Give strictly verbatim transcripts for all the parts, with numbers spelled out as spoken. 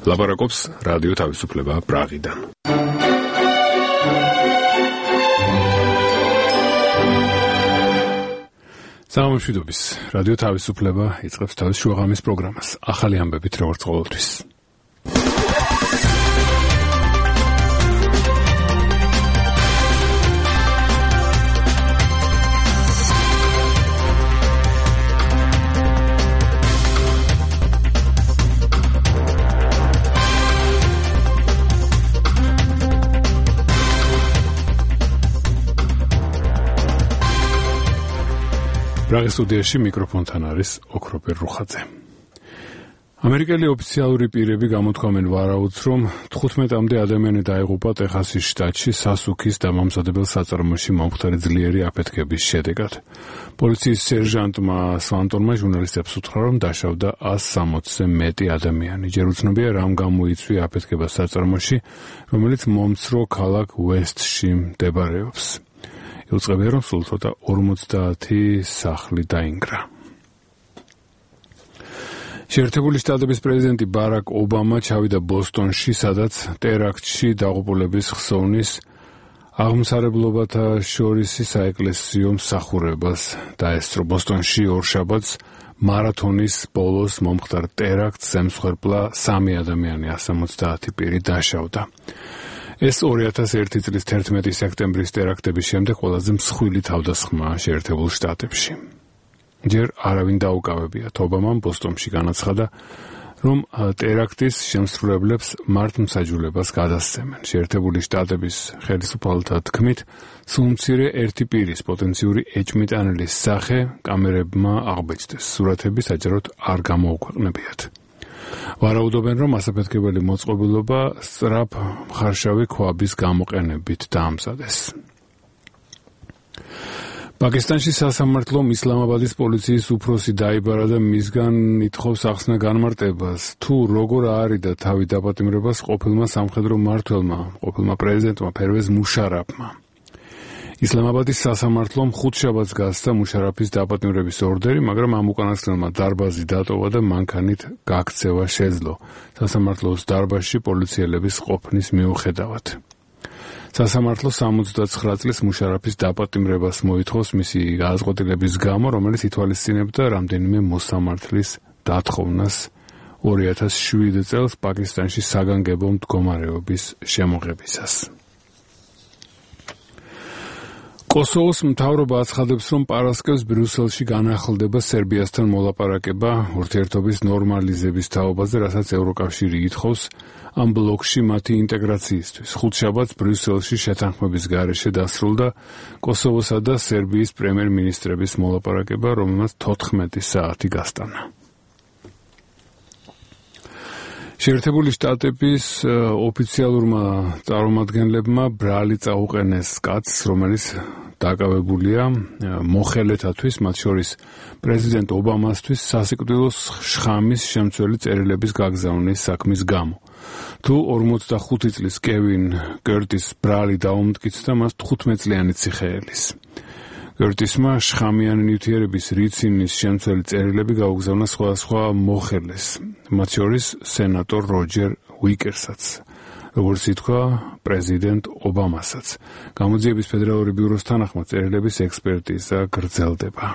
ლაპარაკობს რადიო თავისუფლება პრაღიდან. სამშვიდობის რადიო თავისუფლება იწყებს თავის შუაღამის პროგრამას. ახალი ამბებით როგორც ყოველთვის. პრაღის სტუდიაში მიკროფონთან არის ოქროპერ რუხაძე. ამერიკელი ოფიციალური პირები გამოთქვამენ ვარაუდს, რომ თხუთმეტამდე ადამიანი დაიღუპა ტეხასის შტატში სასუქის დამამზადებელ საწარმოში მომხდარი ძლიერი აფეთქების შედეგად. პოლიციის სერჟანტმა სვანტონმა ჟურნალისტებს უთხრა, რომ დაშავდა ას სამოცზე მეტი ადამიანი. ჯერ უცნობია, რამ გამოიწვია აფეთქება საწარმოში, რომელიც მომცრო ქალაქ უესტში მდებარეობს. უწყებია, რომ სულ ცოტა ორმოცდაათი სახლი დაინგრა. შეერთებული შტატების პრეზიდენტი ბარაკ ობამა ჩავიდა ბოსტონში, სადაც ტერაქტში დაღუპულების ხსოვნის აღმსარებლობათა შორის საეკლესიო მსახურებას დაესწრო. ბოსტონში ორშაბათს მარათონის ბოლოს მომხდარ ტერაქტს ემსხვერპლა სამი ადამიანი, სამოცდაათი პირი დაშავდა. ეს ორი ათას ერთი წლის თერთმეტი სექტემბრის ტერაქტების შემდეგ ყველაზე მსხვილი თავდასხმა შეერთებულ შტატებში. ჯერ არავინ დაუკავებიათ. ობამამ ბოსტონში განაცხადა, რომ ტერაქტის შემსრულებლებს მართლმსაჯულებას გადასცემენ. შეერთებული შტატების ხელისუფალთა თქმით, სულ მცირე ერთი პირის პოტენციური ეჭვმიტანილის სახე კამერებმა აღბეჭდეს. სურათები საჯაროდ არ გამოუქვეყნებიათ. ვარაუდობენ, რომ ასაფეთქებელი მოწყობილობა სწრაფ მხარშავი ქვაბის გამოყენებით დაამზადეს. პაკისტანში სასამართლომ ისლამაბადის პოლიციის უფროსი დაიბარა და მისგან ითხოვს ახსნა განმარტებას, თუ როგორ აარიდა თავი დაპატიმრებას ყოფილმა სამხედრო მმართველმა, ყოფილმა პრეზიდენტმა ფერვეზ მუშარაფმა. ისლამაბადის სასამართლომ ხუთშაბათს გასცა მუშარაფის დაპატიმრების ორდერი, მაგრამ ამ უკანასკნელმა დარბაზი დატოვა და მანქანით გაქცევა შეძლო სასამართლოს დარბაზში პოლიციელების ყოფნის მიუხედავად. სასამართლო სამოცდაცხრა წლის მუშარაფის დაპატიმრებას მოითხოვს მისი გადაწყვეტილების გამო, რომელიც ითვალისწინებდა რამდენიმე მოსამართლის დათხოვნას ორი ათას შვიდ წელს პაკისტანში საგანგებო მდგომარეობის შემოღებისას. კოსოვოს მთავრობა აცხადებს, რომ პარასკევს ბრიუსელში განახლდება სერბიასთან მოლაპარაკება ურთიერთობის ნორმალიზების თაობაზე, რასაც ევროკავშირი ითხოვს ამ ბლოკში მათი ინტეგრაციისთვის. ხუთშაბათს ბრიუსელში შეთანხმების გარეშე დასრულდა კოსოვოსა და სერბიის პრემიერ-მინისტრების მოლაპარაკება, რომელმაც თოთხმეტი საათი გასტანა. შეერთებული შტატების ოფიციალურმა წარმომადგენლებმა ბრალი წაუყენეს კაცს, რომელიც დაკავებულია მოხელეთათვის, მათ შორის პრეზიდენტ ობამასთვის სასიკვდილო შხამის შემცველი წერილების გაგზავნის საქმის გამო. თუ ორმოცდახუთი წლის კევინ კერტის ბრალი დაუმტკიცდა მას თხუთმეტწლიანი ციხეელის. კერტისმა შხამიანი ნივთიერების რიცინის შემცველი წერილები გაუგზავნა სხვადასხვა მოხელეს, მათ შორის სენატორ როჯერ უიკერსაც, როგორც ითქვა პრეზიდენტ ობამასაც. გამოძიების ფედერალური ბიუროს თანახმად წერილების ექსპერტიზა გრძელდება.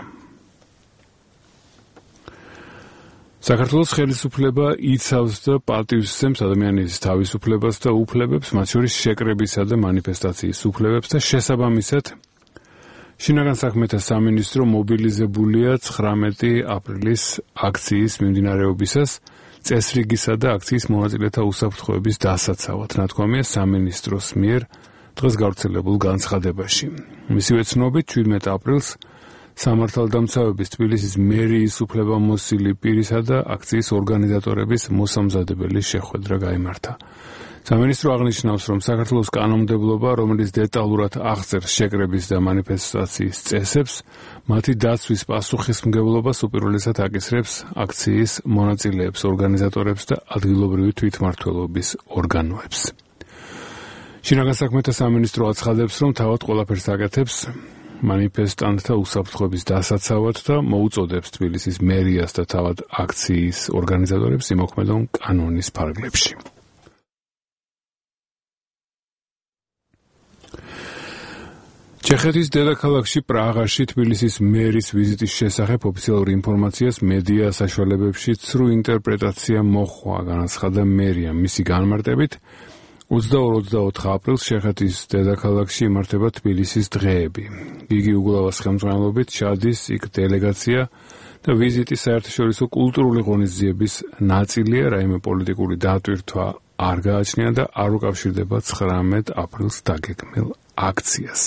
საქართველოს ხელისუფლება იცავს და პატივსცემს ადამიანის თავისუფლებას და უფლებებს, მათ შორის შეკრებისა და მანიფესტაციის უფლებებს და შესაბამისად შინაგან საქმეთა სამინისტრო მობილიზებულია ცხრამეტი აპრილის აქციის მიმდინარეობისას წესრიგისა და აქციის მონაწილეთა უსაფრთხოების დასაცავად, ნათქვამია სამინისტროს მიერ დღეს გავრცელებულ განცხადებაში. მისივე ცნობით, შვიდმეტ აპრილს სამართალდამცავების თბილისის მერიის უფლებამოსილი პირისა და აქციის ორგანიზატორების მოსამზადებელი შეხვედრა გაიმართა. სამინისტრო აღნიშნავს, რომ საქართველოს კანონმდებლობა, რომელიც დეტალურად აღწერს შეკრების და მანიფესტაციის წესებს, მათი დაცვის პასუხისმგებლობას უპირველესად აკისრებს აქციის მონაწილეებს, ორგანიზატორებს და ადგილობრივი თვითმმართველობის ორგანოებს. შინაგან საქმეთა სამინისტრო აცხადებს, რომ თავად ყველაფერს აკეთებს მანიფესტანტთა უსაფრთხოების დასაცავად და მოუწოდებს თბილისის მერიას და თავად აქციის ორგანიზატორებს იმოქმედონ კანონის ფარგლებში. ჩეხეთის დედაქალაქში პრაღაში თბილისის მერის ვიზიტის შესახებ ოფიციალურ ინფორმაციას მედია საშუალებებში ცრუ ინტერპრეტაცია მოჰყვა, განაცხადა მერია. მისი განმარტებით ოცდაორ ოცდაოთხ აპრილს ჩეხეთის დედაქალაქში იმართება თბილისის დღეები. გიგი უგულავას ხელმძღვანელობით ჩადის იქ დელეგაცია და ვიზიტი საერთაშორისო კულტურული ღონისძიების ნაწილია, რაიმე პოლიტიკური დატვირთვა არ გააჩნია და არ უკავშირდება ცხრამეტ აპრილს დაგეგმილ აქციას.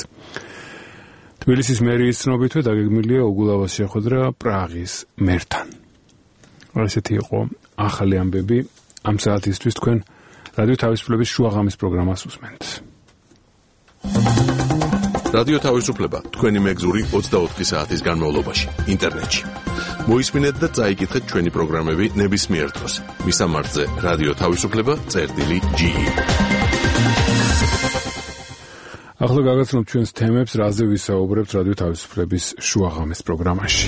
თბილისის მერიის ცნობითვე დაგეგმილია უგულავას შეხვედრა პრაღის მერთან. ასეთი იყო ახალი ამბები ამ საათისთვის. თქვენ რადიო თავისუფლების შუაღამის პროგრამას უსმენთ. რადიო თავისუფლება თქვენი მეგზური ოცდაოთხი საათის განმავლობაში ინტერნეტში. მოისმინეთ და წაიკითხეთ ჩვენი პროგრამები ნებისმიერ დროს. მისამართზე რადიო თავისუფლება წერტილი ჯი. ახლა გაგაცნობთ ჩვენს თემებს, რაზე ვისაუბრებთ რადიო თავისუფლების შუაღამის პროგრამაში.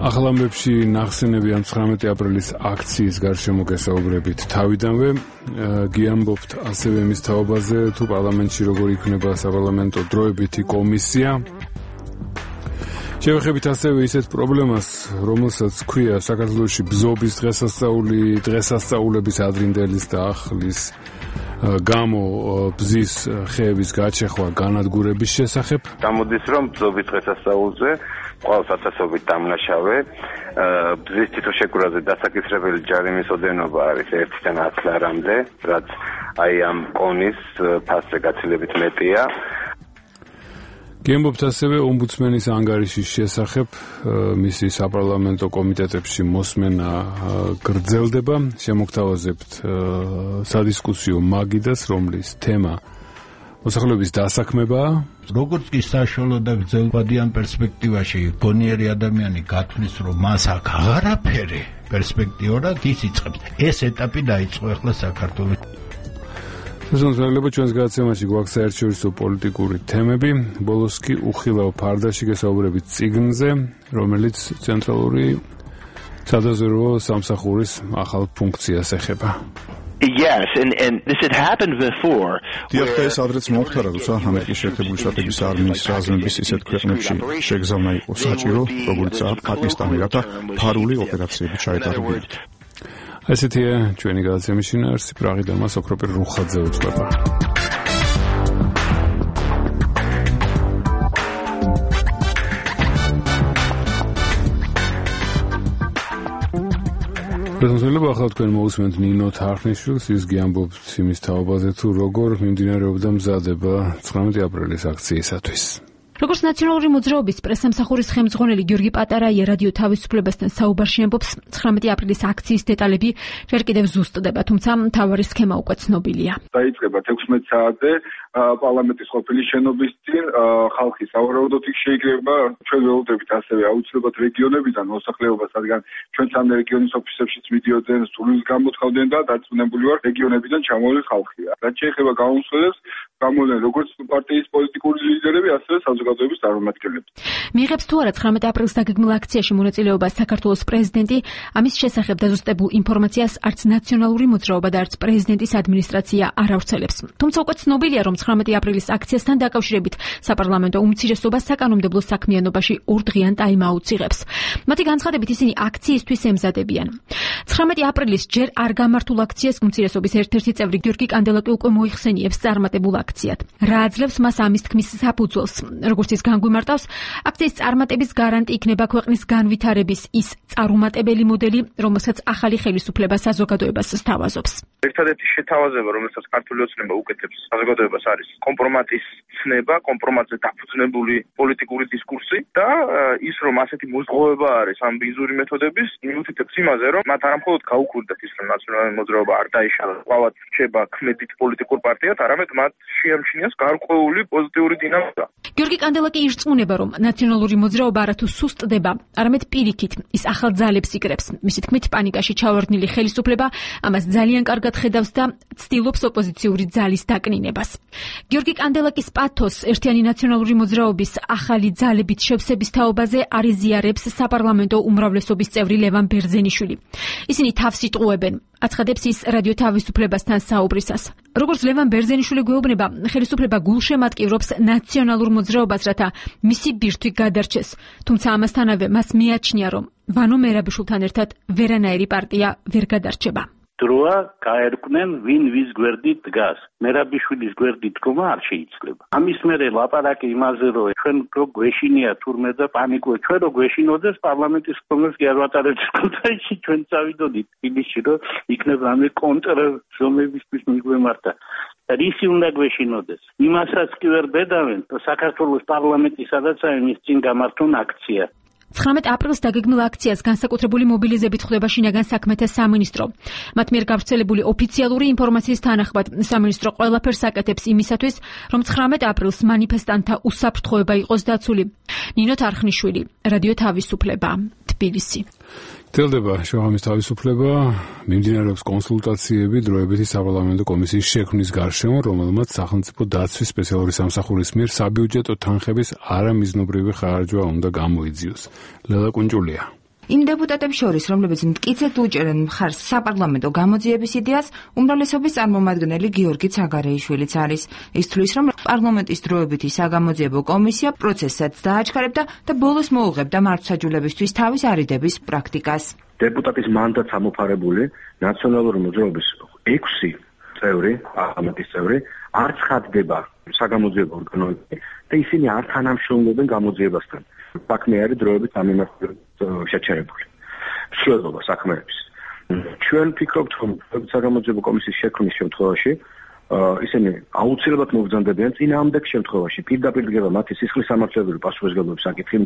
ახალ ამბებში ნახსენები ამ ცხრამეტი აპრილის აქციის გარშემო გესაუბრებით თავიდანვე. გიამბობთ ასევე მის თაობაზე, თუ პარლამენტში როგორ იქნება საპარლამენტო დროებითი კომისია. შევეხებით ასევე ისეთ პრობლემას, რომელსაც ქვია საქართველოში ბზობის დღესასწაული, დღესასწაულების ადრინდელის და ახლის გამო ბზის ხეების გაჩეხვა განადგურების შესახებ. გამოდის, რომ ბზობის დღესასწაულზე ყავს ათასობით დამნაშავე, ბზის თვითშეგურულზე დასაკისრებელი ჯარიმის ოდენობა არის ერთიდან ათ ლარამდე, რაც აი ამ კონის ფასზე გაცილებით მეტია. გიამბობთ ასევე ომბუდსმენის ანგარიშის შესახებ, მისი საპარლამენტო კომიტეტებში მოსმენა გრძელდება. შემოგთავაზებთ სადისკუსიო მაგიდას, რომლის თემა მოსახლეობის დასაქმებაა. როგორც კი საშუალო და გრძელვადიან პერსპექტივაში გონიერი ადამიანი გათვლის, რომ მას აქ აღარაფერი პერსპექტიურად ის იწყებს. ეს ეტაპი დაიწყო ახლა საქართველოს. შესაძლებლობა ჩვენს გადაცემაში გვაქვს საერთაშორისო პოლიტიკური თემები. ბოლოს კი უხილავ ფარდაში გესაუბრებით წიგნზე, რომელიც ცენტრალური სადაზვერვო სამსახურის ახალ ფუნქციას ეხება. Yes, and and this had happened before. დიახ, ადრეც მომხდარა, როცა ამერიკის შეერთებული შტატების არმიის რაზმების ისეთ ქვეყნებში შეგზავნა იყო საჭირო, როგორიცაა პაკისტანი, რათა ფარული ოპერაციები ჩაეტარებინათ. ასეთია ჩვენი გადაცემის შინაარსი. პრაღიდან მას ოქროპირ რუხაძე უძღვება. შესაძლებლობა ახლა თქვენ მოусმენთ ნინო თარხნიშვილს, ის გიამბობს იმის თაობაზე, თუ როგორ მიმდინარეობდა მზადება ცხრამეტი აპრილის აქციისათვის. როგორც ნაციონალური მოძრაობის პრესსამსახურის ხელმძღვანელი გიორგი პატარაია რადიო თავისუფლებასთან საუბარში ამბობს, ცხრამეტი აპრილის აქციის დეტალები ჯერ კიდევ ზუსტდება, თუმცა მთავარი სქემა უკვე ცნობილია. დაიწყება თექვსმეტ საათზე პარლამენტის ყოფილი შენობის წინ ხალხი სავარაუდოდ იქ შეიკრება. ჩვენ ველოდებით ასევე აუცილებლად რეგიონებიდან მოსახლეობას, რადგან ჩვენ სამ რეგიონის ოფისებშიც მიდიოდნენ, სულს გამოთხოვდნენ და დარწმუნებული ვარ, რეგიონებიდან ჩამოვლილი ხალხია. რაც შეეხება გამოსვლებს, გამოვლენ როგორც პარტიის პოლიტიკური ლიდერები, ასევე საზოგადოების წარმომადგენლები. მიიღებს თუ არა ცხრამეტი აპრილს დაგეგმილ აქციაში მონაწილეობას საქართველოს პრეზიდენტი, ამის შესახებ დაზუსტებულ ინფორმაციას არც ნაციონალური მოძრაობა და არც პრეზიდენტის ადმინისტრაცია არ ავრცელებს. თუმცა უკვე ცნობილია, რომ ცხრამეტი აპრილის აქციასთან დაკავშირებით საპარლამენტო უმცირესობა საკანონმდებლო საქმიანობაში ორდღიან ტაიმაუტს იღებს. მათი განცხადებით ისინი აქციისთვის ემზადებიან. ცხრამეტი აპრილის ჯერ არ გამართულ აქციას უმცირესობის ერთ-ერთი წევრი გიორგი კანდელაკი უკვე მოიხსენიებს წარმატებულ აქციად. რა აძლევს მას ამის თქმის საფუძველს? როგორც ის განგვიმარტავს, აქციის წარმატების გარანტი იქნება ქვეყნის განვითარების ის წარუმატებელი მოდელი, რომელსაც ახალი ხელისუფლება საზოგადოებას სთავაზობს. ერთადერთი შეთავაზება, რომელსაც ქართული ოცნება უკეთებს საზოგადოებას, არის კომპრომატის ცნება, კომპრომატზე დაფუძნებული პოლიტიკური დისკურსი და ის, რომ ასეთი მოზღოვება არის ამ ბინძური მეთოდების, იმითითებს იმაზე, რომ მათ არამხოლოდ გაუქმდათ ის, რომ ნაციონალური მოძრაობა არ დაიშალა, ყავად რჩება ქმედით პოლიტიკურ პარტიად, არამედ მათ შეამჩნიეს გარკვეული პოზიტიური დინამიკა. გიორგი კანდელაკი ირწმუნება, რომ ნაციონალური მოძრაობა არათუ სუსტდება, არამედ პირიქით ის ახალ ძალებს იკრებს. მისი თქმით, პანიკაში ჩავარდნილი ხელისუფლება ამას ძალიან კარგად ხედავს და ცდილობს ოპოზიციური ძალის დაკნინებას. გიორგი კანდელაკის პათოს ერთიანი ნაციონალური მოძრაობის ახალი ძალებით შევსების თაობაზე არიზიარებს საპარლამენტო უმრავლესობის წევრი ლევან ბერძენიშვილი. ისინი თავს იტყუებენ, აცხადებს ის რადიო თავისუფლებასთან საუბრისას. როგორც ლევან ბერძენიშვილი გვეუბნება, ხელისუფლება გულშემატკივრობს ნაციონალურ მოძრაობას, რათა მისი ბირთვი გადარჩეს. თუმცა ამასთანავე მას მიაჩნია, რომ ვანო მერაბიშვილთან ერთად ვერანაირი პარტია ვერ გადარჩება. დროა გაერკვნენ ვინ ვის გვერდით დგას. მერაბიშვილის გვერდით დგომა არ შეიძლება. ამის მერე ლაპარაკი იმაზე, რომ ჩვენ რო გვეშინია თურმე და პანიკო, ჩვენ რო გვეშინოდეს პარლამენტის კონგრესს კი არ ვატარებთ კონტრაში, ჩვენ წავიდოდით თბილისში, რომ იქნება რამე კონტრზომებისთვის მიგვემართა. რისი უნდა გვეშინოდეს? იმასაც კი ვერ ბედავენ, საქართველოს პარლამენტი სადაც არის მის წინ გამართონ აქცია. ცხრამეტ აპრილს დაგეგმილ აქციას განსაკუთრებული მობილიზებით ხვდება შინაგან საქმეთა სამინისტრო. მათ მიერ გავრცელებული ოფიციალური ინფორმაციის თანახმად, სამინისტრო ყველაფერს აკეთებს იმისათვის, რომ ცხრამეტ აპრილს მანიფესტანტთა უსაფრთხოება იყოს დაცული. ნინო თარხნიშვილი, რადიო თავისუფლება, თბილისი. გრძელდება შოამის თავისუფლება, მიმდინარეობს კონსულტაციები დროებითი საპარლამენტო კომისიის შექმნის გარშემო, რომელმაც სახელმწიფო დაცვის სპეციალური სამსახურის მიერ საბიუჯეტო თანხების არამიზნობრივი ხარჯვა უნდა გამოიძიოს. ლელა კუნჭულია. იმ დეპუტატებს შორის, რომლებიც მტკიცედ უჭერენ მხარს საპარლამენტო გამოძიების იდეას, უმრავლესობის წარმომადგენელი გიორგი ცაგარეიშვილიც არის. ის თვლის, რომ პარლამენტის დროებითი საგამოძიებო კომისია პროცესსაც დააჩქარებდა და ბოლოს მოუღებდა მართლმსაჯულებისთვის თავის არიდების პრაქტიკას. დეპუტატის მანდატს ამოფარებული ნაციონალური მოძრაობის ექვსი წევრი, პარლამენტის წევრი, არ ცხადდება საგამოძიებო ორგანოებში და ისინი არ თანამშრომლობენ გამოძიებასთან. საქმე არის დროებით ამემართულებით შეჩერებული. მსვლელობა საქმეების. ჩვენ ვფიქრობთ, რომ საგამოძიებო კომისიის შექმნის შემთხვევაში ისინი აუცილებლად მობრძანდებიან წინააღმდეგ შემთხვევაში პირდაპირ დგება მათი სისხლის სამართლებრივი პასუხისმგებლობის საკითხი.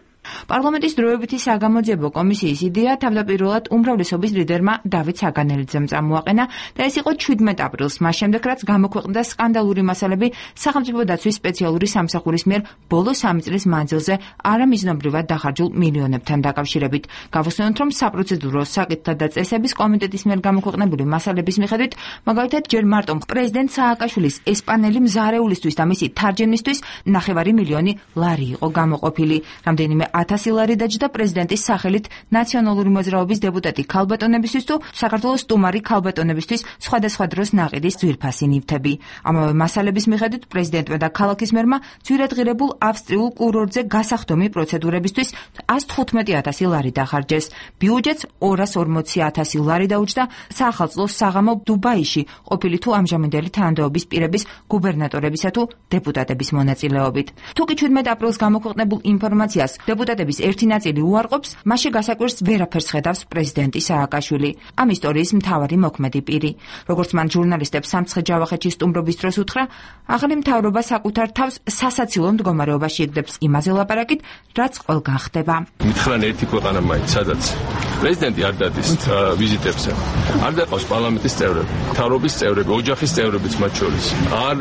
პარლამენტის დროებითი საგამოძიებო კომისიის იდეა თავდაპირველად უმრავლესობის ლიდერმა დავით საგანელიძემ წამოაყენა და ეს იყო ჩვიდმეტ აპრილს, მას შემდეგ რაც გამოქვეყნდა სკანდალური მასალები სახელმწიფო დაცვის სპეციალური სამსახურის მიერ ბოლო სამი წლის მანძილზე არამიზნობრივად დახარჯულ მილიონებთან დაკავშირებით. გავხსენოთ, რომ საპროცედურო საკითხთა და წესების კომიტეტის მიერ გამოქვეყნებული მასალების მიხედვით, მაგალითად, ჯერ მარტო პრეზიდენტ სააკაშვილის ესპანელი მზარეულისთვის და მისი თარჯემნისთვის ნახევარი მილიონი ლარი იყო გამოყოფილი. რამდენიმე ათასი ლარი დაჯდა პრეზიდენტის სახელით ნაციონალური მოძრაობის დეპუტატი ქალბატონებისთვის თუ საქართველოს სტუმარი ქალბატონებისთვის სხვადასხვა დროს ნაყიდის ძვირფასი ნივთები. ამავე მასალების მიხედვით პრეზიდენტმა და ქალაქის მერმა ძვირადღირებულ ავსტრიულ კურორტზე გასახდომი პროცედურებისთვის ას თხუთმეტი ათასი ლარი დახარჯეს. ბიუჯეტს ორას ორმოცი ათასი ლარი დაუჯდა საახალწლო საღამო დუბაიში ყოფილი თუ ამჟამინდელი თანამდებობის პირების გუბერნატორებისა თუ დეპუტატების მონაწილეობით. თუკი ჩვიდმეტ აპრილს გამოქვეყნებულ ინფორმაციას დეპუტატების ერთი ნაწილი უარყოფს, მასში გასაკვირს ვერაფერს ხედავს პრეზიდენტი სააკაშვილი, ამ ისტორიის მთავარი მოქმედი პირი. როგორც მან ჟურნალისტებს სამცხე ჯავახეთში სტუმრობის დროს უთხრა, ახალი მთავრობა საკუთარ თავს სასაცილო მდგომარეობაში იგდებს იმაზე ლაპარაკით, რაც ყველგან ხდება. მითხრან ერთი ქვეყანა მაინც, სადაც პრეზიდენტი არ დადის ვიზიტებზე, არ დაყავს პარლამენტის წევრები, მთავრობის წევრები, ოჯახის წევრებიც მათ შორის. არ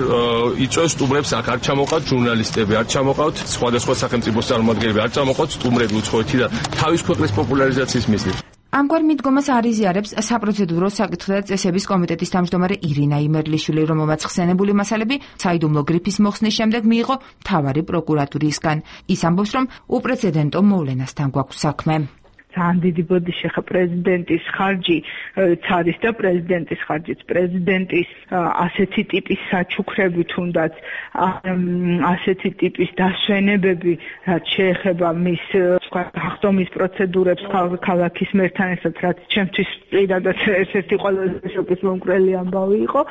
იწვევს სტუმრებს, აქ არ ჩამოყავთ ჟურნალისტები, არ ჩამოყავთ სხვადასხვა სახელმწიფოს წარმომადგენლები, არ ჩამოყავთ სტუმრები უცხოეთი და თავის ქვეყნის პოპულარიზაციის მიზნით. ამგვარ მიდგომას არიზიარებს საპროცედურო საკითხთა წესების კომიტეტის თავმჯდომარე ირინა იმერლიშვილი, რომელმაც ხსენებული მასალები საიდუმლო გრიფის მოხსნის შემდეგ მიიღო მთავარი პროკურატურისგან. ის ამბობს, რომ უპრეცედენტო მოვლენასთან გვაქვს საქმე. ძალიან დიდი ბოდიში ხა პრეზიდენტის ხარჯი ცადის და პრეზიდენტის ხარჯიც პრეზიდენტის ასეთი ტიპის საჩუქრები თუნდაც ასეთი ტიპის დასვენებები რაც შეეხება მის გახდომის პროცედურებს ქალაქის მერთან ერთად რაც ჩემთვის პირადად ერთ-ერთი ყველაზე შოკის მომკვრელი ამბავი იყო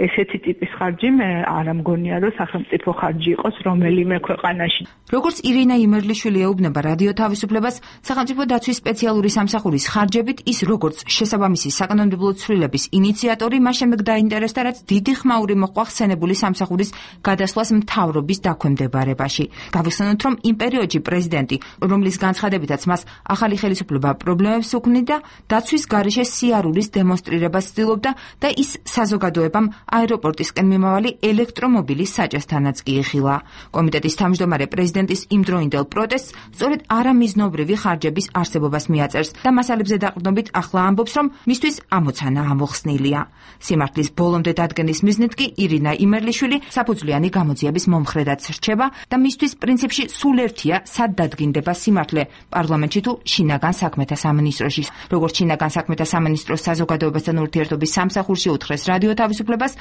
ესეთი ტიპის ხარჯი მე არ ამგონია რომ სახელმწიფო ხარჯი იყოს რომელიმე ქვეყანაში. როგორც ირინა იმერლიშვილი ეუბნება რადიო თავისუფლებას, სახელმწიფო დაცვის სპეციალური სამსახურის ხარჯებით ის როგორც შესაბამისი საკანონმდებლო ცვლილების ინიციატორი მას შემდეგ დაინტერესდა, რაც დიდი ხმაური მოყვა ხსენებული სამსახურის გადასვლას მთავრობის დაქვემდებარებაში. გავიხსენოთ, რომ იმ პერიოდში პრეზიდენტი, რომლის განცხადებით განცხადებითაც მას ახალი ხელისუფლება პრობლემებს უქმნიდა, დაცვის გარეშე სიარულის დემონსტრირებას ცდილობდა და ის საზოგადოებამ აეროპორტისკენ მიმავალი ელექტრომობილის საჭესთანაც კი იხილა. კომიტეტის თავმჯდომარე პრეზიდენტის იმდროინდელ პროტესტს სწორედ არამიზნობრივი ხარჯების არსებობას მიაწერს და მასალებზე დაყრდნობით ახლა ამბობს, რომ მისთვის ამოცანა ამოხსნილია. სიმართლის ბოლომდე დადგენის მიზნით კი ირინა იმერლიშვილი საფუძვლიანი გამოძიების მომხრედაც რჩება და მისთვის პრინციპში სულ ერთია, სად დადგინდება სიმართლე პარლამენტში თუ შინაგან საქმეთა სამინისტროში. როგორც შინაგან საქმეთა სამინისტროს საზოგადოებასთან ურთიერთობის სამსახურში უთხრეს რადიო თავისუფლებას,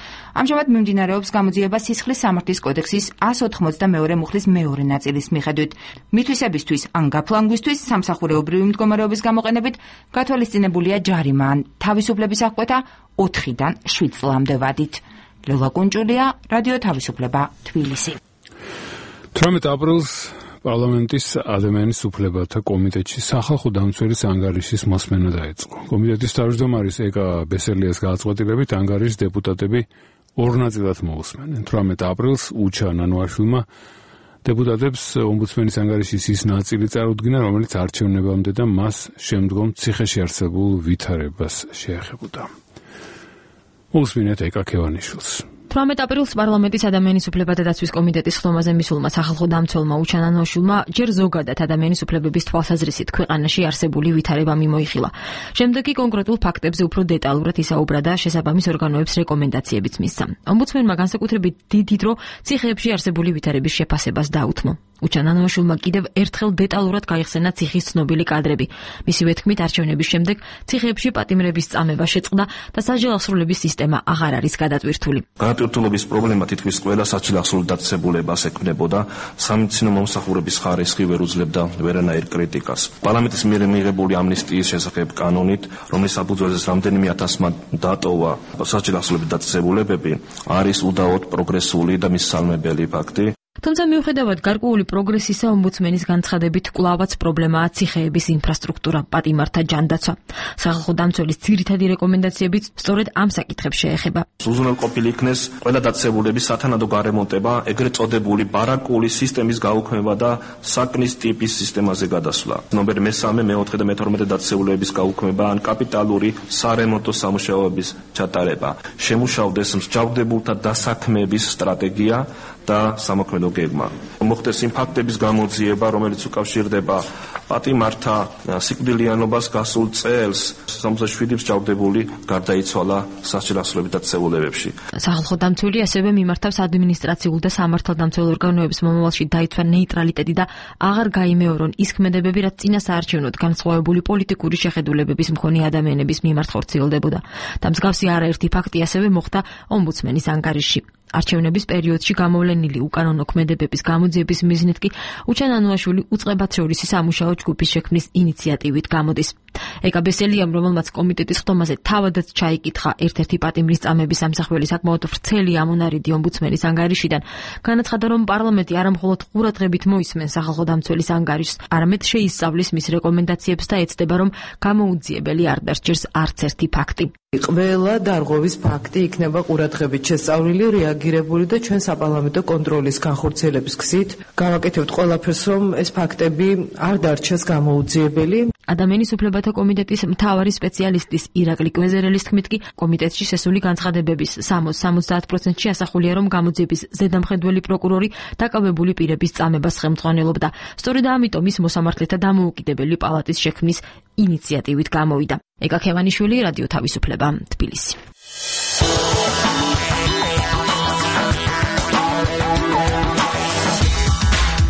ამჟამად მიმდინარეობს გამოძიება სისხლის სამართლის კოდექსის ას ოთხმოცდამეორე მუხლის მეორე ნაწილის მიხედვით. მითვისებისთვის ან გაფლანგვისთვის სამსახურეობრივი მდგომარეობის გამოყენებით გათვალისწინებულია ჯარიმა ან თავისუფლების აღკვეთა ოთხიდან შვიდ წლამდე ვადით. ლელა კუნჭულია, რადიო თავისუფლება, თბილისი. თვრამეტ აპრილს პარლამენტის ადამიანის უფლებათა კომიტეტში სახალხო დამცველის ანგარიშის მოსმენა დაიწყო. კომიტეტის თავმჯდომარის ეკა ბესელიას გადაწყვეტილებით ანგარიშის დეპუტატები ორ ნაწილად მოусმენენ. თვრამეტ აპრილს უჩა ნანოაშვილმა დეპუტატებს ომბუდსმენის ანგარიშის ის ნაწილი წარუდგინა, რომელიც არჩევნებამდე და მას შემდგომ ციხეში არსებულ ვითარებას შეეხებოდა. მოусმინეთ ეკა ქევანიშვილს. თვრამეტ აპრილს პარლამენტის ადამიანის უფლებათა დაცვის კომიტეტის ხდომაზე მისულმა სახალხო დამცველმა უჩა ნანოაშვილმა ჯერ ზოგადად ადამიანის უფლებების თვალსაზრისით ქვეყანაში არსებული ვითარება მიმოიხილა. შემდეგ კი კონკრეტულ ფაქტებზე უფრო დეტალურად ისაუბრა და შესაბამის ორგანოებს რეკომენდაციებიც მისცა. ომბუდსმენმა განსაკუთრებით დიდი დრო ციხეებში არსებული ვითარების შეფასებას დაუთმო. უჩა ნანოაშვილმა კიდევ ერთხელ დეტალურად გაიხსენა ციხის ცნობილი კადრები. მისივე თქმით, არჩევნების შემდეგ ციხეებში პატიმრების წამება შეწყდა და საჯელახსრულების სისტემა აღარ არის გადატვირთული. განატვირთულობის პრობლემა თითქმის ყველა საჯელახსრულ დაწესებულებას ექმნებოდა, სამედიცინო მომსახურების ხარისხი ვერ უძლებდა ვერანაირ კრიტიკას. პარლამენტის მიერ მიღებული ამნისტიის შესახებ კანონით, რომლის საფუძველზეც რამდენიმე ათასმა დატოვა საჯელახსრულების დაწესებულებები, არის უდაოდ პროგრესული და მისალმებელი ფაქტი. თუმცა მიუხედავად გარკვეული პროგრესისა, ომბუდსმენის განცხადებით კვლავაც პრობლემაა ციხეების ინფრასტრუქტურა, პატიმართა ჯანდაცვა. სახალხო დამცველის ძირითადი რეკომენდაციებიც სწორედ ამ საკითხებს შეეხება. უზრუნველყოფილი იქნეს ყველა დაწესებულების სათანადო გარემონტება, ეგრეთ წოდებული ბარაკული სისტემის გაუქმება და საკნის ტიპის სისტემაზე გადასვლა. ნომერ მესამე, მეოთხე და მეთორმეტე დაწესებულებების გაუქმება ან კაპიტალური სარემონტო სამუშაოების ჩატარება. შემუშავდეს მსჯავრდებულთა დასაქმების სტრატეგია და სამოქმედო გეგმა. მოხდეს იმ ფაქტების გამოძიება, რომელიც უკავშირდება პატიმართა სიკვდილიანობას გასულ წელს, სამოცდაშვიდი მსჯავრდებული გარდაიცვალა სასჯელახსრულების დაწესებულებებში. სახალხო დამცველი ასევე მიმართავს ადმინისტრაციულ და სამართალდამცველ ორგანოებს მომავალში დაიცვა ნეიტრალიტეტი და აღარ გაიმეორონ ის ქმედებები, რაც წინა საარჩევნოდ განსხვავებული პოლიტიკური შეხედულებების მქონე ადამიანების მიმართ ხორციელდებოდა. და მსგავსი არაერთი ფაქტი ასევე მოხდა ომბუდსმენის ანგარიშში. არჩევნების პერიოდში გამოვლენილი უკანონო ქმედებების გამოძიების მიზნით კი უჩა ნანოაშვილი უწყებად შორისი სამუშაო ჯგუფის შექმნის ინიციატივით გამოდის. ეკა ბესელიამ, რომელმაც კომიტეტის ხდომაზე თავადაც ჩაიკითხა ერთ-ერთი პატიმრის წამების ამსახველი საკმაოდ ვრცელი ამონარიდი ომბუდსმენის ანგარიშიდან, განაცხადა, რომ პარლამენტი არა მხოლოდ ყურადღებით მოისმენს სახალხო დამცველის ანგარიშს, არამედ შეისწავლის მის რეკომენდაციებს და ეცდება, რომ გამოუძიებელი არ დასჭირს არც ერთი ფაქტი. ყველა დარღვევის ფაქტი იქნება ყურადღებით შესწავლილი, რეაგირებული და ჩვენ საპარლამენტო კონტროლის განხორციელების გზით გავაკეთებთ ყველაფერს, რომ ეს ფაქტები არ დარჩეს გამოუძიებელი. ადამიანის უფლებათა კომიტეტის მთავარი სპეციალისტის ირაკლი კვეზერელის თქმით კი კომიტეტში შესული განცხადებების სამოცდა-სამოცდაათ პროცენტში ასახულია, რომ გამოძიების ზედამხედველი პროკურორი დაკავებული პირების წამებას ხელმძღვანელობდა. სწორედ ამიტომ ის მოსამართლეთა დამოუკიდებელი პალატის შექმნის ინიციატივით გამოვიდა. ეკა ქევანიშვილი, რადიო თავისუფლება, თბილისი.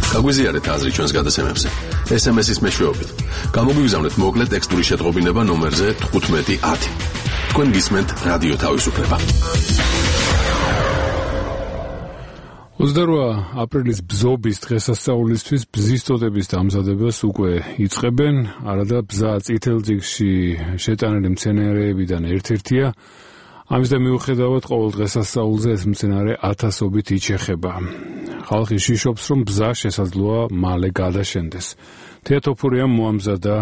გაგვიზიარეთ აზრი ჩვენს გადაცემებზე. ეს ემ ეს-ის მეშვეობით. გამოგვიგზავნეთ მოკლე ტექსტური შეტყობინება ნომერზე თხუთმეტი ათი. თქვენ გისმენთ რადიო თავისუფლება. ოცდარვა აპრილის ბზობის დღესასწაულისთვის ბზის წოდების დამზადებას უკვე იწყებენ. არადა ბზა წითელ წიგნში შეტანილი მცენარეებიდან ერთ-ერთია. ამის და მიუხედავად ყოველ დღესასწაულზე ეს მცენარე ათასობით იჩეხება. ხალხი შიშობს, რომ ბზა შესაძლოა მალე გადაშენდეს. თეატოფურიამ მოამზადა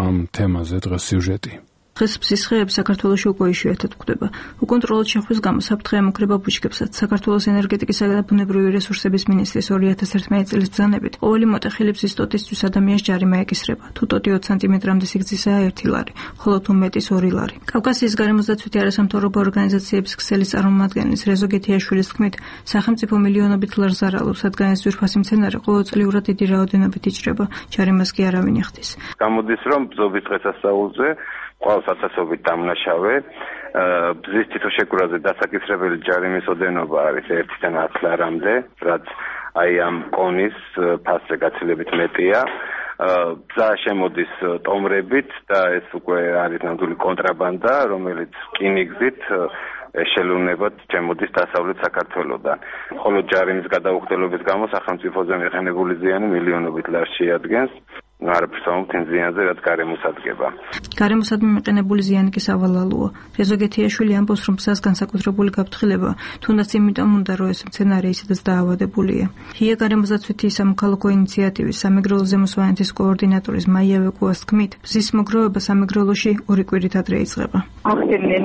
ამ თემაზე დღეს სიუჟეტი. დღეს ბზის ხეები საქართველოში უკვე იშვიათად გვხვდება. უკონტროლოდ შეხვის გამო საფრთხე ემუქრება ბუჩქებსაც. საქართველოს ენერგეტიკისა და ბუნებრივი რესურსების მინისტრის ორი ათას ერთმანეტ წლის ბრძანებით ყოველი მოტეხილი ბზის ტოტისთვის ადამიანს ჯარიმა ეკისრება. თუ ტოტი ოცი სანტიმეტრამდე სიგრძისაა ერთი ლარი, ხოლო თუ მეტის ორი ლარი. კავკასიის გარემოსდაცვითი არასამთავრობო ორგანიზაციების ქსელის წარმომადგენლის რეზო გეთიაშვილის თქმით, სახელმწიფო მილიონობით ლარს ზარალობს, რადგან ეს ძვირფასი მცენარე ყოველწლიურად დიდი რაოდენობით იჭრება, ჯარიმას კი არავინ ეხდის. გამოდის რომ ბზობის დღესასწაულზე ყოველს ათასობით დამნაშავე ბზის თვითშეგურაზე დასაკისრებელი ჯარიმის ოდენობა არის ერთიდან ათი ლარამდე, რაც აი ამ კონის ფასზე გაცილებით მეტია. ბზა შემოდის ტომრებით და ეს უკვე არის ნამდვილი კონტრაბანდა, რომელიც რკინიგზით ешელუნებად შემოდის დასავლეთ საქართველოდან. ხოლო ჯარიმის გადაუხდელობის გამო სახელმწიფოზე მიღებული ზიანი მილიონობით ლარს შეადგენს. არაფერს ამბობთ ზიანზე, რაც გარემოსადგება. გარემოსადმი მიყენებული ზიანი კი სავალალოა. რეზო გეთიაშვილი ამბობს, რომ ბზას განსაკუთრებული გაფრთხილება, თუნდაც იმიტომ უნდა, რომ ეს მცენარე ისედაც დაავადებულია. ჰია გარემოსდაცვითი სამოქალაქო ინიციატივის სამეგრელო ზემოსვანეთის კოორდინატორის მაია ვეკუას თქმით, ბზის მოგროვება სამეგრელოში ორი კვირით ადრე იწყება. ახდენენ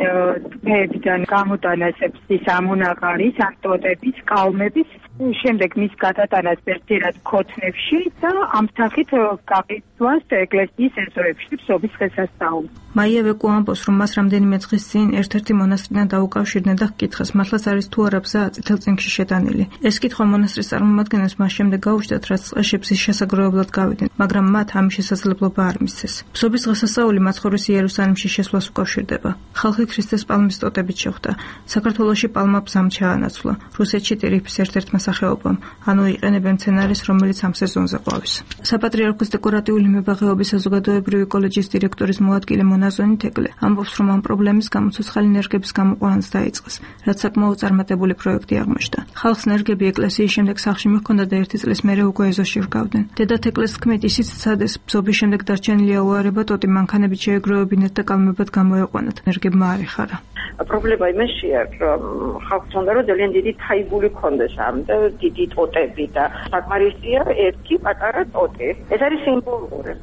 თეებიდან გამოტანას ბზის ამონაყარის, ანტოტების, კალმების, შემდეგ მის გადატანას ერთერად ქოთნებში და ამ სახით გაკეთვას ეკლესიის ეზოებში ბზობის დღესასწაულს. მაია ვეკუ ამბობს, რომ მას რამდენიმე დღის წინ ერთ-ერთი მონასტრიდან დაუკავშირდნენ და ჰკითხეს, მართლაც არის თუ არა ბზა წითელწინქში შეტანილი. ეს კითხვა მონასტრის წარმომადგენლებს მას შემდეგ გაუჩნდათ, რაც წყეში ბზის შესაძლებლად გავიდნენ, მაგრამ მათ ამის შესაძლებლობა არ მისცეს. ბზობის დღესასწაული მაცხოვრის იერუსალიმში შესვლას უკავშირდება. ხალხი ქრისტეს პალმის ტოტებით შეხვდა. საქართველოში პალმა ბზამ ჩაანაცვლა. რუსეთში ტირიფის ერთ-ერთმა სახეობამ, ანუ იყენებენ მცენარეს, რომელიც ამ სეზონზე ყვავის. საპატრიარქოს დეკორატიული მებაღეობის საზოგადოებრივი კოლეჯის დირექტორის მოადგილე მონაზონი თეკლე ამბობს, რომ ამ პრობლემის გამო ცოცხალი ნერგების გამოყვანაც დაიწყეს, რაც საკმაოდ წარმატებული პროექტი აღმოჩნდა. ხალხს ნერგები ეკლესიის შემდეგ სახლში მიჰქონდა და ერთი წლის მერე უკვე ეზოში რგავდნენ. დედა თეკლეს თქმით, ისიც ცადეს ბზობის შემდეგ დარჩენილი აუარება ტოტი მანქანებით შეეგროვებინათ და კალმებად გამოეყვანათ. ნერგებმა არ ეხარა. პრობლემა იმაშია, რომ ხალხს უნდა რომ ძალიან დიდი თაიბული ქონდეს ამ და დიდი ტოტები და საკმარისია ერთი პატარა ტოტი. ეს არის სიმბოლური.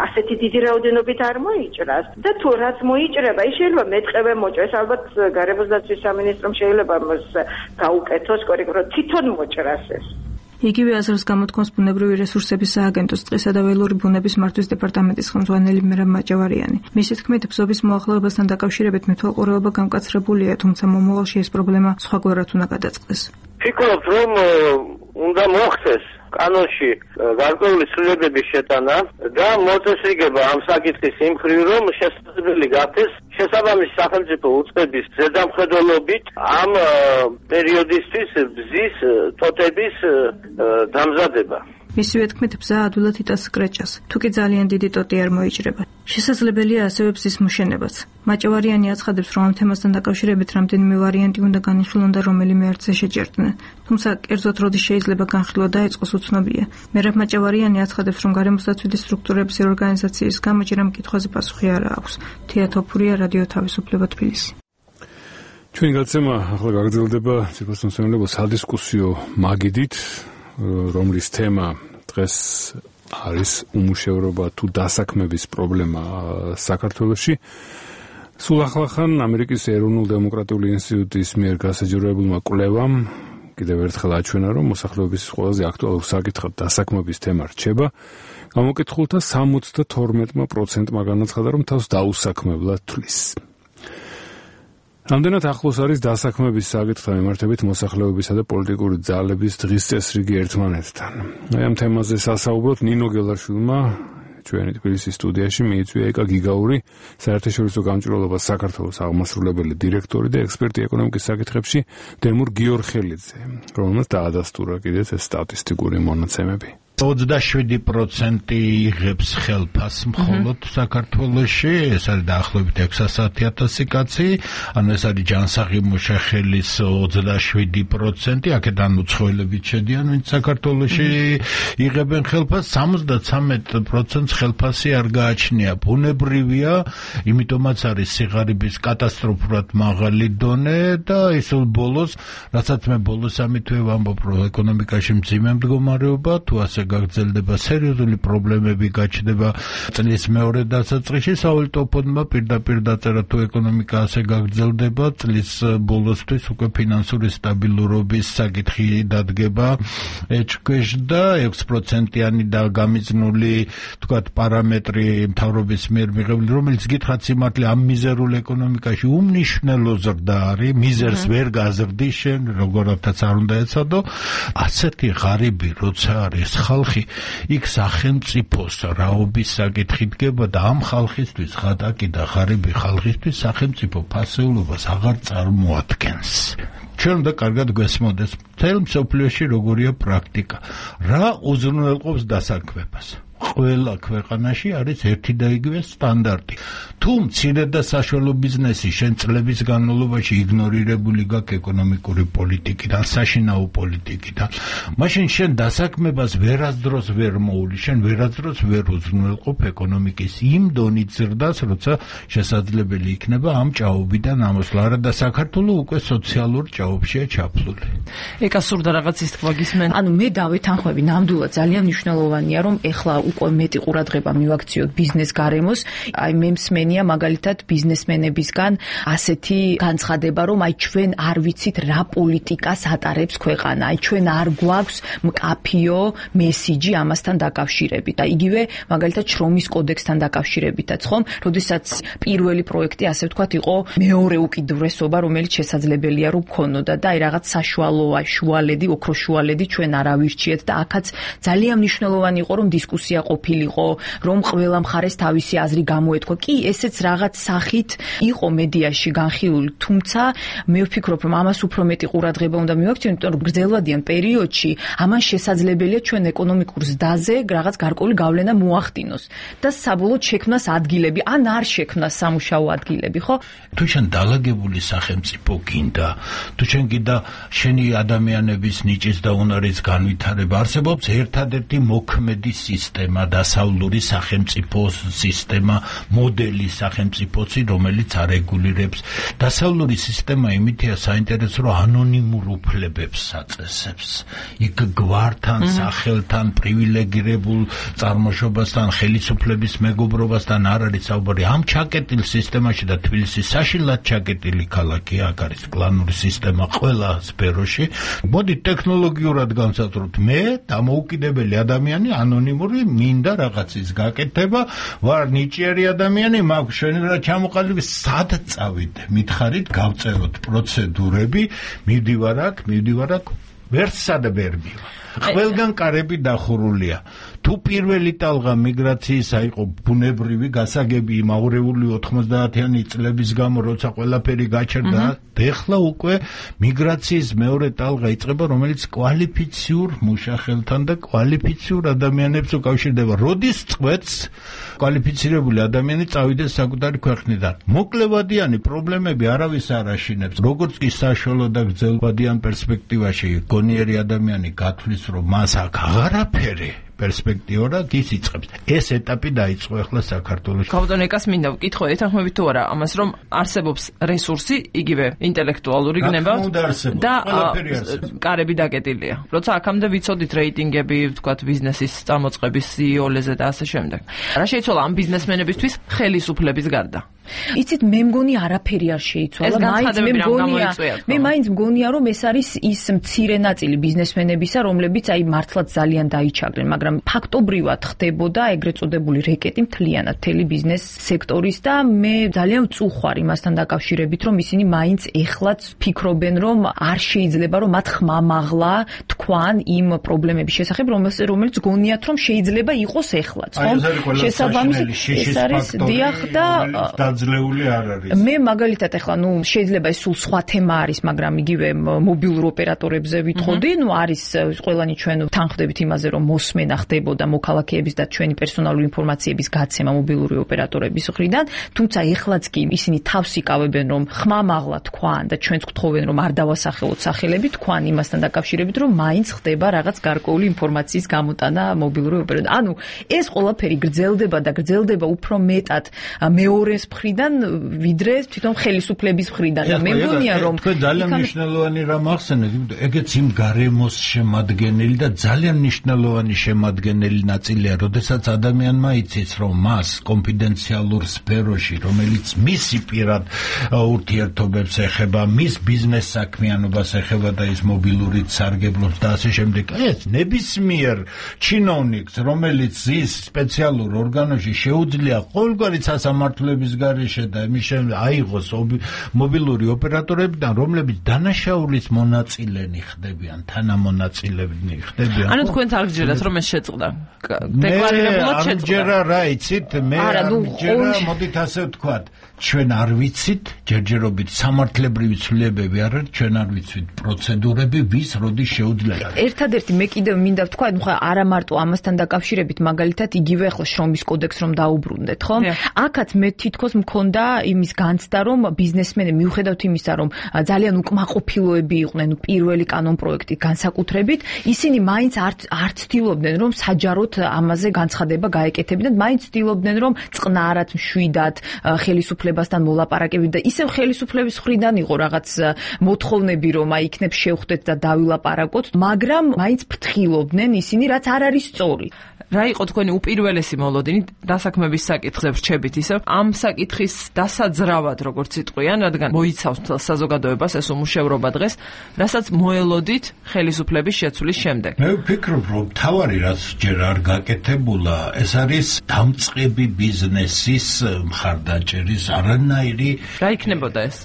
ასეთი დიდი რაოდენობით არ მოიჭრას და თუ რაც მოიჭრება, ის შეიძლება მეტყევე მოჭრას. ალბათ გარემოსდაცვის სამინისტრომ შეიძლება მას გაუკეთოს კორექტულად თვითონ მოჭრას ეს. იგივე აზრს გამოთქვამს ბუნებრივი რესურსების სააგენტოს წყლისა და ველური ბუნების მართვის დეპარტამენტის ხელმძღვანელი მერაბ მაჭავარიანი. მისი თქმით, ბზობის მოახლოებასთან დაკავშირებით მეთვალყურეობა გამკაცრებულია, თუმცა მომავალში ეს პრობლემა სხვაგვარად უნდა გადაწყდეს. ფიქრობ, რომ უნდა მოხდეს კანონში გარკვეული ცვლილებების შეტანა და მოწესრიგება ამ საკითხის იმ მხრივ, რომ შესაძლებელი გახდეს შესაბამისი სახელმწიფო უწყების ზედამხედველობით ამ პერიოდისთვის ბზის ტოტების დამზადება. მისივე თქმით, ბზა ადვილად იტანს კრეჭას, თუ კი ძალიან დიდი ტოტი არ მოიჭრება. შესაძლებელია ასევე ბზის მოშენებაც. მაჭავარიანი აცხადებს, რომ ამ თემასთან დაკავშირებით რამდენიმე ვარიანტი უნდა განიხილონ და რომელიმე არცე შეჯერდნენ. თუმცა კერძოდ როდის შეიძლება განხილვა დაიწყოს უცნობია. მერაბ მაჭავარიანი აცხადებს, რომ გარემოსდაცვითი სტრუქტურების ორგანიზაციის გამო ჯერ ამ კითხვაზე პასუხი არ აქვს. თეატოფურია რადიო თავისუფლება თბილისი. ჩვენი გაცემა ახლა გაგრძელდება ციფროსამსახურებო სადისკუსიო მაგიდით, რომლის თემა დღეს არის უმუშევრობა თუ დასაქმების პრობლემა საქართველოში. სულ ახლახან ამერიკის ეროვნულ დემოკრატიული ინსტიტუტის მიერ გასაჯეროებულმა კვლევამ კიდევ ერთხელ აჩვენა, რომ მოსახლეობის ყველაზე აქტუალურ საკითხად დასაქმების თემა რჩება. გამოკითხულთა სამოცდათორმეტ პროცენტმა განაცხადა, რომ თავს დაუსაქმებლად თვლის. რამდენად ახლოს არის დასაქმების საკითხთან მიმართებით მოსახლეობისა და პოლიტიკური ძალების დღის წესრიგი ერთმანეთთან. აი ამ თემაზე სასაუბროთ ნინო გელაშვილმა ჩვენი თბილისის სტუდიაში მიიწვია ეკა გიგაური, საერთაშორისო გამჭვირვალობას საქართველოს აღმასრულებელი დირექტორი და ექსპერტი ეკონომიკის საკითხებში დემურ გიორხელიძე, რომელმაც დაადასტურა კიდეც ეს სტატისტიკური მონაცემები. ოცდაშვიდი პროცენტი იღებს ხელფას მხოლოდ საქართველოში, ეს არის დაახლოებით ექვსასი ათასი კაცი, ანუ ეს არის ჯანსაღი მუშახელის ოცდაშვიდი პროცენტი, აქედან უცხოელებით შედიან, ვინც საქართველოში იღებენ ხელფას, სამოცდათრამეტ პროცენტს ხელფასი არ გააჩნია. ბუნებრივია, იმიტომაც არის სიღარიბის კატასტროფულად მაღალი დონე და ისულ ბოლოს, რასაც მე ბოლოს ამითვე ვამბობ, რომ ეკონომიკაში მძიმე მდგომარეობა, თუ ასე გაგრძელდება, სერიოზული პრობლემები გაჩნდება წლის მეორე დასაწყისში. სავალუტო ფონდმა პირდაპირ დაწერა, თუ ეკონომიკა ასე გაგრძელდება, წლის ბოლოსთვის უკვე ფინანსური სტაბილურობის საკითხი დადგება ეჭქვეშდა, ექვს პროცენტიანი და გამიზნული თქვათ პარამეტრი მთავრობის მიერ მიღებული, რომელიც გითხრათ სიმართლე ამ მიზერულ ეკონომიკაში უმნიშვნელო ზრდა არის, მიზერს ვერ გაზრდის შენ, როგორთაც არ უნდა ეცადო. ასეთი ღარიბი როცა არის ხალხი, იქ სახელმწიფოს რაობის საკითხი დგება და ამ ხალხისთვის, ღატაკი და ღარიბი ხალხისთვის სახელმწიფო ფასეულობას აღარ წარმოადგენს. ჩვენ უნდა კარგად გვესმოდეს, მთელ მსოფლიოში როგორია პრაქტიკა, რა უზრუნველყოფს დასაქმებას. ყველა ქვეყანაში არის ერთი და იგივე სტანდარტი. თუ მცირე და საშუალო ბიზნესი შენ წლების განმავლობაში იგნორირებული გაქვს ეკონომიკური პოლიტიკიდან, საშინაო პოლიტიკიდან, მაშინ შენ დასაქმებას ვერასდროს ვერ მოული, შენ ვერასდროს ვერ უზრუნველყოფ ეკონომიკის იმ დონით ზრდას, როცა შესაძლებელი იქნება ამ ჭაობიდან ამოსვლა. არა და საქართველოს უკვე სოციალურ ჭაობშია ჩაფლული. ეკა სურდა რაღაც ის თქვა გისმენ. ანუ მე დავეთანხმები, ნამდვილად ძალიან მნიშვნელოვანია, რომ ეხლა უკვე მეტი ყურადღება მივაქციოთ ბიზნეს გარემოს. აი მე მსმენია მაგალითად ბიზნესმენებისგან ასეთი განცხადება, რომ აი ჩვენ არ ვიცით რა პოლიტიკას ატარებს ქვეყანა, აი ჩვენ არ გვაქვს მკაფიო მესიჯი ამასთან დაკავშირებით. და იგივე მაგალითად შრომის კოდექსთან დაკავშირებითაც, ხომ? როდესაც პირველი პროექტი ასე ვთქვათ იყო მეორე უკიდურესობა, რომელიც შესაძლებელია რომ ქონოდა და აი რაღაც საშუალო შუალედი, ოქროს შუალედი ჩვენ არ ავირჩიეთ და აქაც ძალიან მნიშვნელოვანი იყო რომ დისკუსია ყოფილიყო, რომ ყველა მხარეს თავისი აზრი გამოეთქვა. კი, ესეც რაღაც სახით იყო მედიაში განხილული, თუმცა მე ვფიქრობ, რომ ამას უფრო მეტი ყურადღება უნდა მივაქციოთ, იმიტომ რომ გრძელვადიან პერიოდში ამან შესაძლებელია ჩვენ ეკონომიკურ ზრდაზე რაღაც გარკვეული გავლენა მოახდინოს და საბოლოოდ შექმნას ადგილები, ან არ შექმნას სამუშაო ადგილები, ხო? თუ შენ დალაგებული სახელმწიფო გინდა, თუ შენ გინდა შენი ადამიანების ნიჭის და უნარის განვითარება, არსებობს ერთადერთი მოქმედი სისტემა, დასავლური სახელმწიფო სისტემა, მოდელი სახელმწიფოც, რომელიც არეგულირებს. დასავლური სისტემა იმითია საინტერესო, რომ ანონიმურ უფლებებს აწესებს. იქ გვართან, სახელთან, პრივილეგირებულ წარმოშობასთან, ხელისუფლების მეგობრობასთან არ არის საუბარი. ამ ჩაკეტილ სისტემაში და თბილისი საშინლად ჩაკეტილი ქალაქია, აქ არის კლანური სისტემა ყველა სფეროში. მოდი ტექნოლოგიურად განსაზღვროთ, მე დამოუკიდებელი ადამიანი ანონიმური მინდა რაღაცის გაკეთება, ვარ ნიჭიერი ადამიანი, მაქვს შენი რა ჩამოყალიბების, სად წავიდე? მითხარით, გავწეროთ პროცედურები, მივდივარ აქ, მივდივარ აქ, ვერცსა და ვერ მივა. ყველგან კარები დახურულია. თუ პირველი ტალღა მიგრაციისა იყო ბუნებრივი გასაგები იმ აურეული ოთხმოცდაათიანი წლების გამო, როცა ყველაფერი გაჩერდა, ეხლა უკვე მიგრაციის მეორე ტალღა იწყება, რომელიც კვალიფიციურ მუშახელთან და კვალიფიციურ ადამიანებს უკავშირდება. როდის წყვეტს კვალიფიცირებული ადამიანი წავიდეს საკუთარი ქვეყნიდან? მოკლევადიანი პრობლემები არავის არ აშინებს. როგორც კი საშუალო და გრძელვადიან პერსპექტივაში გონიერი ადამიანი გათვლის, რომ მას აქ აღარაფერი პერსპექტიურად ის იწყებს. ეს ეტაპი დაიწყო ახლა საქართველოში. გაბატონო ეკას მინდა ვკითხო, ეთანხმებით თუ არა ამას, რომ არსებობს რესურსი, იგივე ინტელექტუალური გნება და კარები დაკეტილია. როცა აქამდე ვიცოდით რეიტინგები, ვთქვათ, ბიზნესის წარმოწყების სიოლეზე და ასე შემდეგ. რა შეიცვალა ამ ბიზნესმენებისთვის ხელისუფლების გარდა? იცით, მე მგონი არაფერი არ შეიცვალა, მაინც მე მგონია, მე მაინც მგონია, რომ ეს არის ის მცირე ნაწილი ბიზნესმენებისა, რომლებიც აი მართლაც ძალიან დაიჩაგრენ, მაგრამ ფაქტობრივად ხდებოდა ეგრეთ წოდებული რეკეტი მთლიანად მთელი ბიზნეს სექტორის და მე ძალიან ვწუხარ იმასთან დაკავშირებით, რომ ისინი მაინც ეხლაც ფიქრობენ, რომ არ შეიძლება, რომ მათ ხმამაღლა თქვან იმ პრობლემების შესახებ, რომელიც გონიათ, რომ შეიძლება იყოს ეხლაც, ხომ? შესაბამისად ეს არის დიახ და დაძლეული არ არის. მე მაგალითად ეხლა ნუ შეიძლება ეს სულ სხვა თემა არის, მაგრამ იგივე მობილურ ოპერატორებზე ვითხოვდი, ნუ არის ყველანი ჩვენ თანხმდებით იმაზე, რომ მოსმენა ხდებოდა მოქალაქეების და ჩვენი პერსონალური ინფორმაციების გაცემა მობილური ოპერატორების მხრიდან, თუმცა ეხლაც კი ისინი თავს იკავებენ, რომ ხმამაღლა თქვან და ჩვენც გვთხოვენ, რომ არ დავასახელოთ სახელები თქვან იმასთან დაკავშირებით, რომ მაინც ხდება რაღაც გარკვეული ინფორმაციის გამოტანა მობილური ოპერატორი. ანუ ეს ყველაფერი გრძელდება და გრძელდება უფრო მეტად მეორეს მხრიდან ვიდრე თვითონ ხელისუფლების მხრიდან და მე მგონია რომ თქვენ ძალიან მნიშვნელოვანი რამ ახსენეთ, ეგეც იმ გარემოს შემადგენელი და ძალიან მნიშვნელოვანი შემადგენელი ნაწილია, როდესაც ადამიანმა იცის რომ მას კონფიდენციალურ სფეროში, რომელიც მისი პირად ურთიერთობებს ეხება, მის ბიზნეს საქმიანობას ეხება და ის მობილურით სარგებლობს და ასე შემდეგ. ეს ნებისმიერ ჩინოვნიკს, რომელიც ის სპეციალურ ორგანოში შეუძლია ყოველგვარი სასამართლოების გარეშე და იმის შემდეგ აიღოს მობილური ოპერატორებიდან, რომლებიც დანაშაულის მონაწილენი ხდებიან, თანამონაწილენი ხდებიან. ანუ თქვენ არ გჯერათ რომ ეს შეწყდა? დეკლარირებულად შეწყდა. არ ჯერა რა იცით, მე არ ჯერა, მოდით ასე ვთქვათ, ჩვენ არ ვიცით, ჯერჯერობით სამართლებრივი ცვლილებები არ არის, ჩვენ არ ვიცით პროცედურები, ვის როდის შეუძლია. ერთადერთი მე კიდევ მინდა ვთქვა, ნუ ხა არა მარტო ამასთან დაკავშირებით, მაგალითად იგივე ახლა შრომის კოდექს რომ დაუბრუნდეთ, ხო? აქაც მე თითქოს მქონდა იმის განცდა, რომ ბიზნესმენი მიუხედავთ იმისა, რომ ძალიან უკმაყოფილოები იყვნენ პირველი კანონპროექტი განსაკუთრებით, ისინი მაინც არ ცდილობდნენ, რომ საჯაროდ ამაზე განცხადება გაეკეთებინათ, მაინც ცდილობდნენ, რომ წყნარად, მშვიდად ხელისუფლებასთან მოლაპარაკებით და ისევ ხელისუფლების მხრიდან იყო რაღაც მოთხოვნები, რომ აი იქნებ შევხვდეთ და დავილაპარაკოთ, მაგრამ მაინც ფრთხილობდნენ ისინი, რაც არ არის სწორი. რა იყო თქვენი უპირველესი მოლოდინი დასაქმების საკითხზე ვრჩებით ისევ ამ საკითხის დასაძრავად როგორც იტყვიან, რადგან მოიცავს საზოგადოებას ეს უმუშევრობა დღეს, რასაც მოელოდით ხელისუფლების შეცვლის შემდეგ. მე ვფიქრობ, რომ თავარი რაც ჯერ არ გაკეთებულა, ეს არის დამწყები ბიზნესის მხარდაჭერის არანაირი რა იქნებოდა ეს?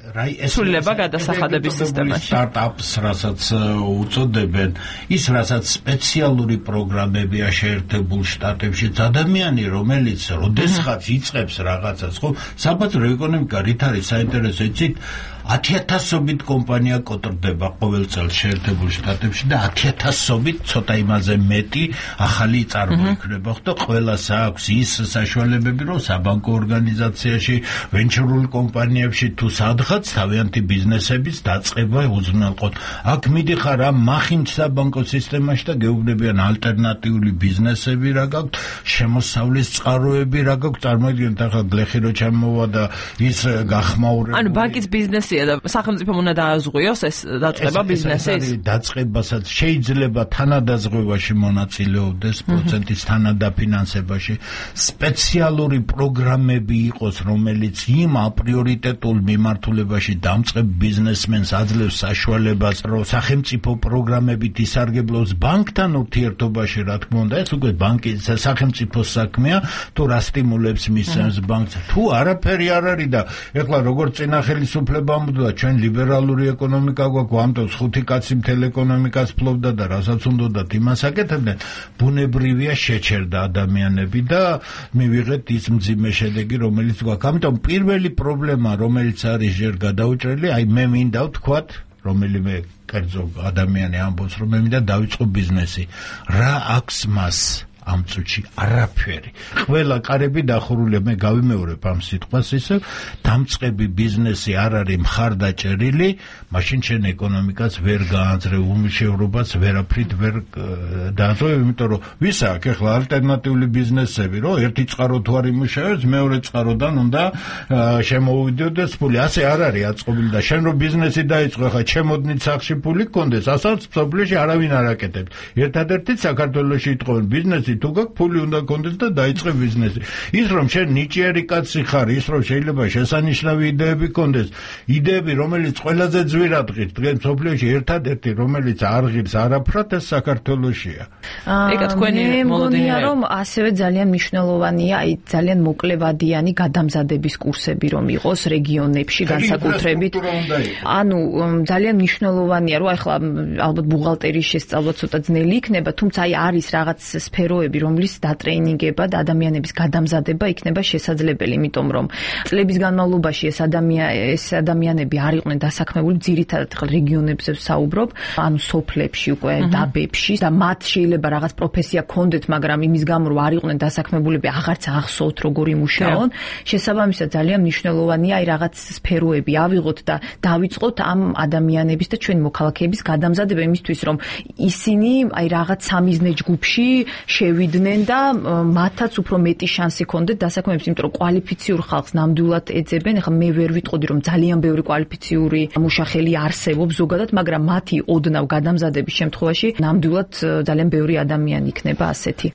სრულება გადასახადების სისტემაში. სტარტაპს რასაც უწოდებენ, ის რასაც სპეციალური პროგრამებია შეერთებული შტატებში, ადამიანი რომელიც როდესღაც იწყებს რაღაცას, ხო, საბაზრო ეკონომიკა რით არის საინტერესო იცით? ათიათასობით კომპანია კოტრდება ყოველ წელს შეერთებულ შტატებში და ათიათასობით ცოტა იმაზე მეტი ახალი წარმოიქმნება, ხო და ყველას აქვს ის საშუალებები, რომ საბანკო ორგანიზაციაში, ვენჩურულ კომპანიებში თუ სადღაც თავიანთი ბიზნესების დაწყება უზრუნველყოთ. აქ მიდიხარ ამ მახინჯ საბანკო სისტემაში და გეუბნებიან ალტერნატიული ბიზნესები რა გაქვთ, შემოსავლის წყაროები რა გაქვთ, წარმოიდგინეთ ახლა გლეხი რო ჩამოვა და ის გახმაურება. ანუ ბანკის ბიზნესია და სახელმწიფომ უნდა დააზღვიოს ეს დაწყება ბიზნესის. დაწყებასაც შეიძლება თანადაზღვევაში მონაწილეობდეს, პროცენტის თანადაფინანსებაში, სპეციალური პროგრამები იყოს, რომელიც იმ აპრიორიტეტულ მიმართულებაში დამწყებ ბიზნესმენს აძლევს საშუალებას, რომ სახელმწიფო პროგრამებით ისარგებლოს ბანკთან ურთიერთობაში, რა თქმა უნდა, ეს უკვე ბანკის სახელმწიფოს საქმეა, თუ რა სტიმულებს მისცემს ბანკს, თუ არაფერი არ არის და ეხლა როგორც წინა ხელისუფლებამ და ჩვენ ლიბერალური ეკონომიკა გვაქვს, ამიტომ ხუთი კაცი მთელ ეკონომიკას ფლობდა და რასაც უნდათ იმას აკეთებდნენ, ბუნებრივია შეჩერდა ადამიანები და მივიღეთ ის მძიმე შედეგი, რომელიც გვაქვს. ამიტომ პირველი პრობლემა, რომელიც არის ჯერ გადაუჭრელი, აი მე მინდა ვთქვათ, რომელიმე კერძო ადამიანი ამბობს, რომ მე მინდა დავიწყო ბიზნესი. რა აქვს მას? ამ წუთში არაფერი. ყველა კარები დახურულია, მე გავიმეორებ ამ სიტყვას ისევ, დამწყები ბიზნესი არ არის მხარდაჭერილი, მაშინ შენ ეკონომიკას ვერ გაანძრევ, უმუშევრობას ვერაფრით ვერ დააწევ, იმიტომ რომ ვის აქვს ახლა ალტერნატიული ბიზნესები, რომ ერთი წყარო თუ არ იმუშავებს, მეორე წყაროდან უნდა შემოუვიდოდეს ფული. ასე არ არის აწყობილი და შენ რო ბიზნესი დაიწყო, ახლა ჩემოდნით სახში ფული გქონდეს, ასაც სოფლიოში არავინ არ აკეთებს. ერთადერთი საქართველოში იტყობენ ბიზნესი თუ გაქვს ფული უნდა გქონდეს და დაიწყე ბიზნესი. ის რომ შენ ნიჭიერი კაცი ხარ, ის რომ შეიძლება შესანიშნავი იდეები გქონდეს, იდეები რომელიც ყველაზე ძვირად ღირს დღეს სოფლიოში ერთადერთი რომელიც არ ღირს არაფრად ეს საქართველოშია. ეკა თქვენი მოლოდინი რომ ასევე ძალიან მნიშვნელოვანია აი ძალიან მოკლევადიანი გადამზადების კურსები რომ იყოს რეგიონებში განსაკუთრებით. ანუ ძალიან მნიშვნელოვანია რომ ახლა ალბათ ბუღალტერიის შესწავლა ცოტა ძნელი იქნება, თუმცა აი არის რაღაც სფეროები მეთაურები, რომლის დატრეინინგება და ადამიანების გადამზადება იქნება შესაძლებელი, იმიტომ რომ წლების განმავლობაში ეს ადამიანი ეს ადამიანები არ იყვნენ დასაქმებული ძირითადად ხელ რეგიონებზე ვსაუბრობ, ანუ სოფლებში უკვე დაბებში და მათ შეიძლება რაღაც პროფესია ქონდეთ, მაგრამ იმის გამო რომ არ იყვნენ დასაქმებულები აღარც ახსოვთ როგორ იმუშაონ. შესაბამისად ძალიან მნიშვნელოვანია აი რაღაც სფეროები ავიღოთ და დავიწყოთ ამ ადამიანების და ჩვენი მოქალაქეების გადამზადება იმისთვის რომ ისინი აი რაღაც სამიზნე ჯგუფში შევიდნენ და მათაც უფრო მეტი შანსი ქონდეთ დასაქმების, იმიტომ რომ კვალიფიციურ ხალხს ნამდვილად ეძებენ. ეხლა მე ვერ ვიტყოდი რომ ძალიან ბევრი კვალიფიციური მუშახელი არსებობს ზოგადად, მაგრამ მათი ოდნავ გადამზადების შემთხვევაში ნამდვილად ძალიან ბევრი ადამიანი იქნება ასეთი.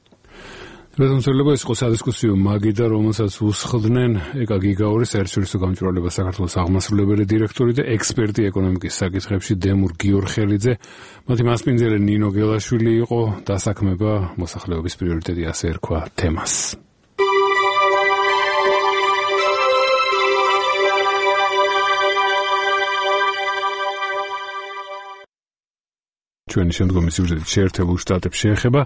რეზონსელება ის ყო სადისკუსიო მაგიდა, რომელსაც უსხდნენ ეკა გიგაურის საერთაშორისო გამჭვირვალება საქართველოს აღმასრულებელი დირექტორი და ექსპერტი ეკონომიკის საკითხებში დემურ გიორხელიძე. მათი მასპინძელი ნინო გელაშვილი იყო. დასაქმება მოსახლეობის პრიორიტეტი, ასე ერქვა თემას. ჩვენი შემდგომი სიუჟეტი შეერთებულ შტატებს შეეხება.